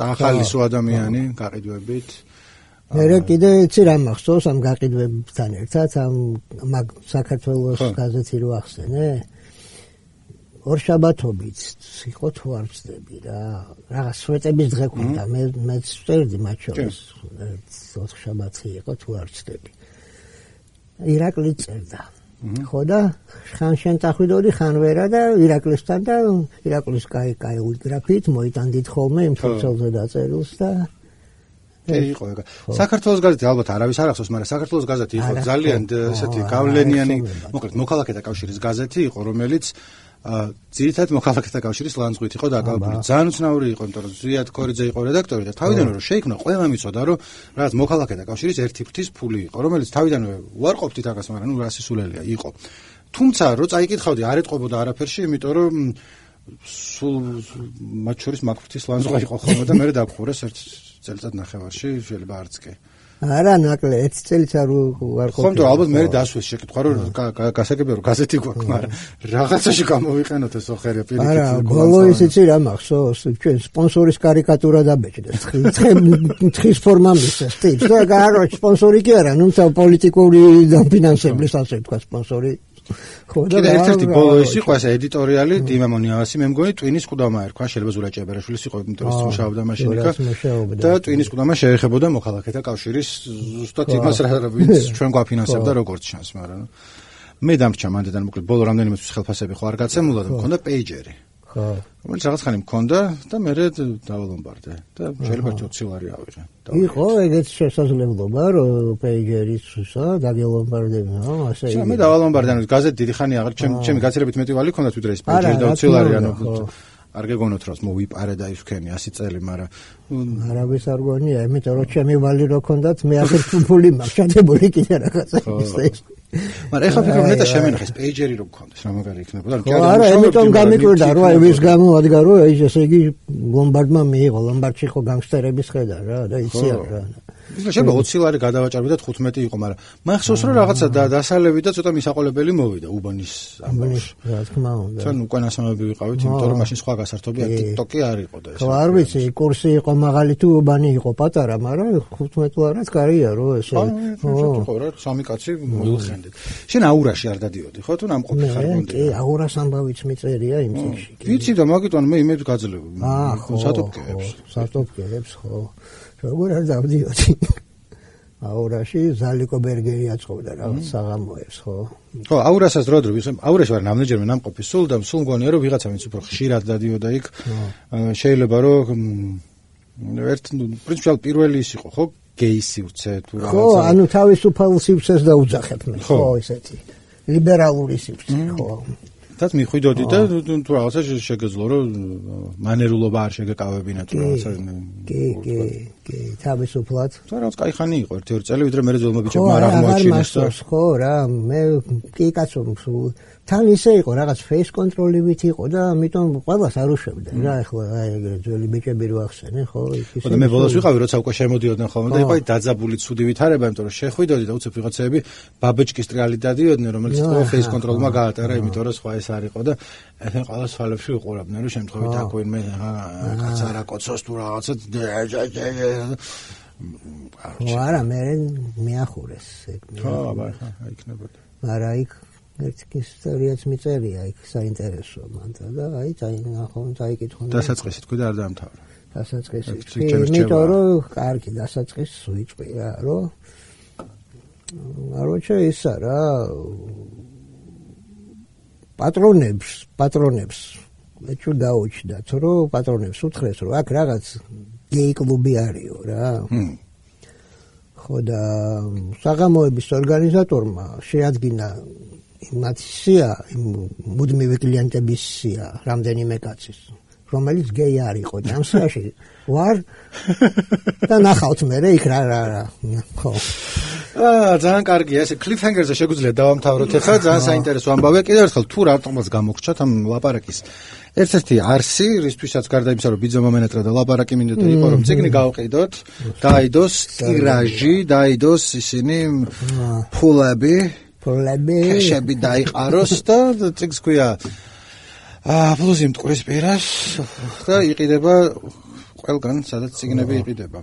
ახალისო ადამიანი გაყიდვებით მე კიდე იცი რა მახსოვს ამ გაყიდვებთან ერთად ამ მაგ საქართველოს გაზეთი რო ახსენე ორშაბათობით იყო თუ არ ვწდები რა რაღაც სვეტების დღე ქონდა მე მეც ვწერდი მათ შორის ორშაბათი იყო თუ არ ვწდები ირაკლი წერდა ხო და ხან შენ წახვიდოდი ხან ვერა და ირაკლისთან და ირაკლის კაი კაი უგრაფით მოიტანდით ხოლმე იმ თურქელზე დაწერილს და იყო ეგ საქართველოს გაზეთი ალბათ არავის არ ახსოვს მაგრამ საქართველოს გაზეთი იყო ძალიან ესეთი გავლენიანი მოკლედ მოქალაქეთა კავშირის გაზეთი იყო რომელიც ძირითადად მოქალაქეთა კავშირის ლანძღვით იყო დაკავებული. ძალიან უცნაური იყო, იმიტომ რომ ზვიად კორიძე იყო რედაქტორი და თავიდანვე რომ შეიქმნა, ყველამ იცოდა რომ რაღაც მოქალაქეთა კავშირის ერთი ფრთის ფული იყო, რომელიც თავიდანვე უარყოფდით აგას, მაგრამ ნუ რასისულელია იყო. თუმცა რო წაიკითხავდი, არ ეტყობოდა არაფერში, იმიტომ რომ სულ მათ შორის მაგ ფრთის ლანძღვა იყო ხოლმე და მე დაგხურეს ერთ წელიწად ნახევარში, შეიძლება არც კი. არა ნაკლე ერთ წელიწად არ ხო ხომ ალბათ მე დასვეს შეკითხვა რომ გასაგებია რომ გაზეთი გვაქვს მაგრამ რაღაცაში გამოვიყენოთ ეს ოხერია პირიქით არა ბოლო ისიც რა მახსოვს ჩვენ სპონსორის კარიკატურა დაბეჭდეს თხის ფორმა მისცეს ტიპს და გაარო სპონსორი კი არა ნუ პოლიტიკური დაფინანსებლის ასე თქვა სპონსორი ხო და ერთ-ერთი ბოლო ის იყო ესე ედიტორიალი დიმა მონიავასი მე მგონი ტვინის ყუდამა ერქვა შეიძლება ზურა ჭებერაშვილის იყო იმიტომ რომ მუშაობდა მაშინ იქა და ტვინის ყუდამა შეეხებოდა მოქალაქეთა კავშირის ზუსტად იმას რა ვინც ჩვენ გვაფინანსებდა როგორც ჩანს მაგრამ მე დამრჩა მანდიდან მოკლედ ბოლო რამდენიმე თვის ხელფასები ხო არ გაცემულა და მქონდა პეიჯერი ხო რომელიც რაღაც ხანი მქონდა და მე დავალომბარდე და შეიძლება ოცი ლარი ავიღე იყო ეგეც შესაძლებლობა რომ პეიჯერისა დაგელომბარდებო ასე იგი მე დავალომბარდე ანუ გაზეთი დიდი ხანი აღარ ჩემი ჩემი გაცილებით მეტი ვალი ქონდა თვითონ ეს პეიჯერი და ოცი ლარი ანუ არ გეგონოთ რომ მოვიპარე და ისქენი ასი წელი მაგრამ არავის არ გონია იმიტომ რომ ჩემი ვალი რო ქონდათ მე ახერ ფული მაქვს ჩადებული კიდე რაღაცა ის მაგრამ ეხლა ფიქრობ ნეტა შემენახეს პეიჯერი რო გქონდეს რა მაგარი იქნებოდა კი არა იმიტომ გამიკვირდა რომ აი ვის გამო ადგა რომ აი ესე იგი ლომბარდმა მიიღო ლომბარდში ხო განგსტერების ხედა რა და იცია რა ისე შეიძლება ოცი ლარი გადავაჭარბე და თხუთმეტი იყო მაგრამ მახსოვს რომ რაღაცა დასალევი და ცოტა მისაყოლებელი მოვიდა უბანის ამბავში რა თქმა უნდა თან უკანასამები ვიყავით იმიტომ რომ მაშინ სხვა გასართობია TikTok-ი არ იყო და ეს ხო არ ვიცი კურსი იყო მაღალი თუ უბანი იყო პატარა მაგრამ თხუთმეტი ლარად კარია რო ესე ხო რა სამი კაცი მოილხენდეთ შენ აურაში არ დადიოდი ხო თუ ნამყოფი ხარ გონდი კი აურას ამბავიც მიწერია იმ წიგნში ვიცი და მაგიტყვან მე იმედ გაძლევ სატოპკეებს სატოპკეებს ხო როგორ არ დავდიოდი აურაში ზალიკო ბერგერი აწყობდა რაღაც საღამოებს ხო ხო აურასაც დრო დრო ვისმ აურაში ვარ ნამდვილად ნამყოფი სულ და სულ მგონია რომ ვიღაცა ვინც უფრო ხშირად დადიოდა იქ შეიძლება რომ ერთ პრინციპალ პირველი ის იყო ხო გეისი უცე თუ რაღაცა ხო ანუ თავისუფალ სივრცეს დაუძახებ მე ხო ესეთი ლიბერალური სივრცე ხო თაც მიხვიდოდი და თუ რაღაცა შეგეძლო რომ მანერულობა არ შეგეკავებინა თუ რაღაცა კი კი კი თავისუფლად და რაღაც კაი ხანი იყო ერთი ორი წელი ვიდრე მე ძველმა ბიჭებმა არ აღმოაჩინეს და ხო რა მე კი კაცო თან ისე იყო რაღაც face control-ივით იყო და ამიტომ ყველას არ უშვებდა რა ეხლა აი ეგრე ძველი ბიჭები რო ახსენე ხო ისე ხო და მე ბოლოს ვიყავი როცა უკვე შემოდიოდნენ ხოლმე და იყო აი დაძაბული ცუდი ვითარება იმიტომ რომ შეხვიდოდი და უცებ ვიღაცები ბაბეჭკის ტრიალით დადიოდნენ რომელიც ხო face control-მა გაატარა იმიტომ რომ სხვა ეს არ იყო და ეთენ ყველა სვალებში უყურებდნენ რომ შემთხვევით აკვირმე კაც არა კოცოს თუ რაღაცა არა, მე მეახურეს ეგ. ხო, აბა, ხა, იქნებოდა. არა, იქ ერთ ისტორიაც მიწერია, იქ საინტერესო მანდა და აი წაინახონ, წაიკითხონ. დასაწყისი თქვი და არ დაამთავრა. დასაწყისი. იმიტომ რომ კარგი დასაწყისი ვიწყია, რომ აროჩა ისა რა პატრონებს, პატრონებს ეჭვ დაუჩდათ, რომ პატრონებს უთხრეს, რომ აქ რაღაც გეი კლუბი არისო რა. ხო და საღამოების ორგანიზატორმა შეადგინა იმათ სია, მუდმივი კლიენტების სია, რამდენიმე კაცის, რომელიც გეი არ იყო და ამ სიაში ვარ და ნახავთ მე იქ რა რა რა. ხო. აა ძალიან კარგია, ესე კლიფჰენგერზე შეგვიძლია დავამთავროთ ახლა, ძალიან საინტერესო ამბავია. კიდევ ერთხელ თუ რატომაც გამოგრჩათ ამ ლაპარაკის ერთ-ერთი არსი, რისთვისაც გარდა იმისა, რომ ბიძო მომენატრა და ლაპარაკი მინდოდა იყო, რომ წიგნი გავყიდოთ, დაიდოს ტირაჟი, დაიდოს ისინი ფულები, ფულები, კეშები დაიყაროს და წიგნს ქვია აა პლუსი მტკვრის პირას და იყიდება ყველგან, სადაც წიგნები იყიდება.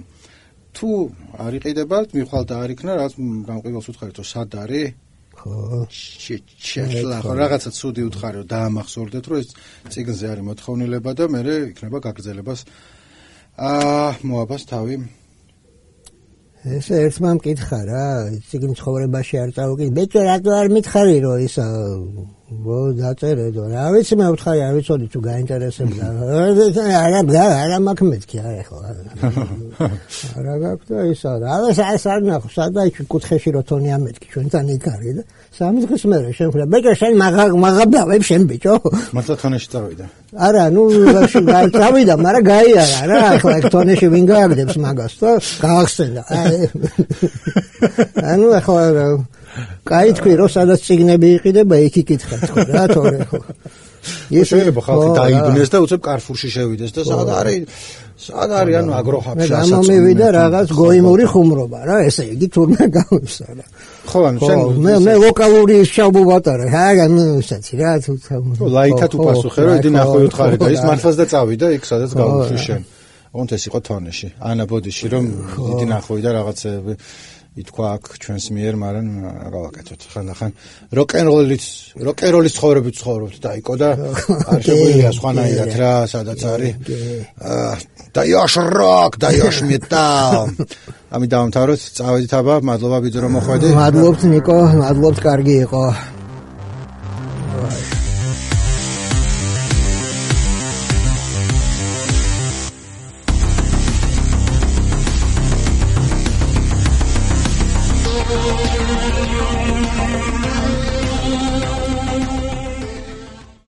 თუ არ იყიდებათ, მიხვალ და არ იქნა, რაც გამყიდველს უთხარით, რომ სად არის? ხო. შეშლა, ხო, რაღაცა ცუდი უთხარი, რომ დაამახსოვრდეთ, რომ ეს წიგნზე არის მოთხოვნილება და მე იქნება გაგრძელებას აა მოაბას თავი. ესე ერთმა მკითხა რა, წიგნ ცხოვრებაში არ წავუკიდე. ბეჭო რატო არ მითხარი, რომ ისა ვო დაწერედო. რა ვიცი მე ვთხარი, არ ვიცოდი თუ გაინტერესებდა. არა, არა მაქვს მეთქი, არა ხო. არა გაქვს და ისა რა. ეს არ ნახო, სადაა იქ კუთხეში რო თონი ამეთქი, ჩვენთან იქ არის და სამი დღის მერე შენ ხვდა. ბეჭო შენ მაგა მაგაბავებ შენ ბეჭო. მართლა თონეში წავიდა. არა, ნუ წავიდა, მაგრამ გაიარა რა. ახლა ეგ თონეში ვინ გააგდებს მაგას და გაახსენდა. ანუ ახლა კაი თქვი რომ სადაც წიგნები იყიდება იქ იკითხა თქო რა თორე ხო ეს შეიძლება ხალხი დაიბნეს და უცებ კარფურში შევიდეს და სად არის სად არის ანუ აგროჰაბში ასაწ მე მომივიდა რაღაც გოიმური ხუმრობა რა ესე იგი თურმე გავისა რა ხო ანუ შენ მე მე ვოკალური შავ ვატარე ჰაგან ისეთი რა თუ ლაითად უპასუხე რომ იდი ნახო უთხარი და ის მართლაც და წავიდა იქ სადაც გავუშვი შენ ოღონდ ეს იყო თონეში ანა ბოდიში რომ იდი ნახო და რაღაცები ითქვა აქ ჩვენს მიერ, მაგრამ გავაკეთოთ. ხანდახან როკენროლის, როკენროლის ცხოვრებით ცხოვრობთ და იკო და არ შეგვიძლია სხვანაირად რა, სადაც არის. დაიოშ როკ, დაიოშ მეტალ. ამი დავამთავროთ, წავედით აბა, მადლობა ბიძო რომ მოხვედი. მადლობთ ნიკო, მადლობთ, კარგი იყო.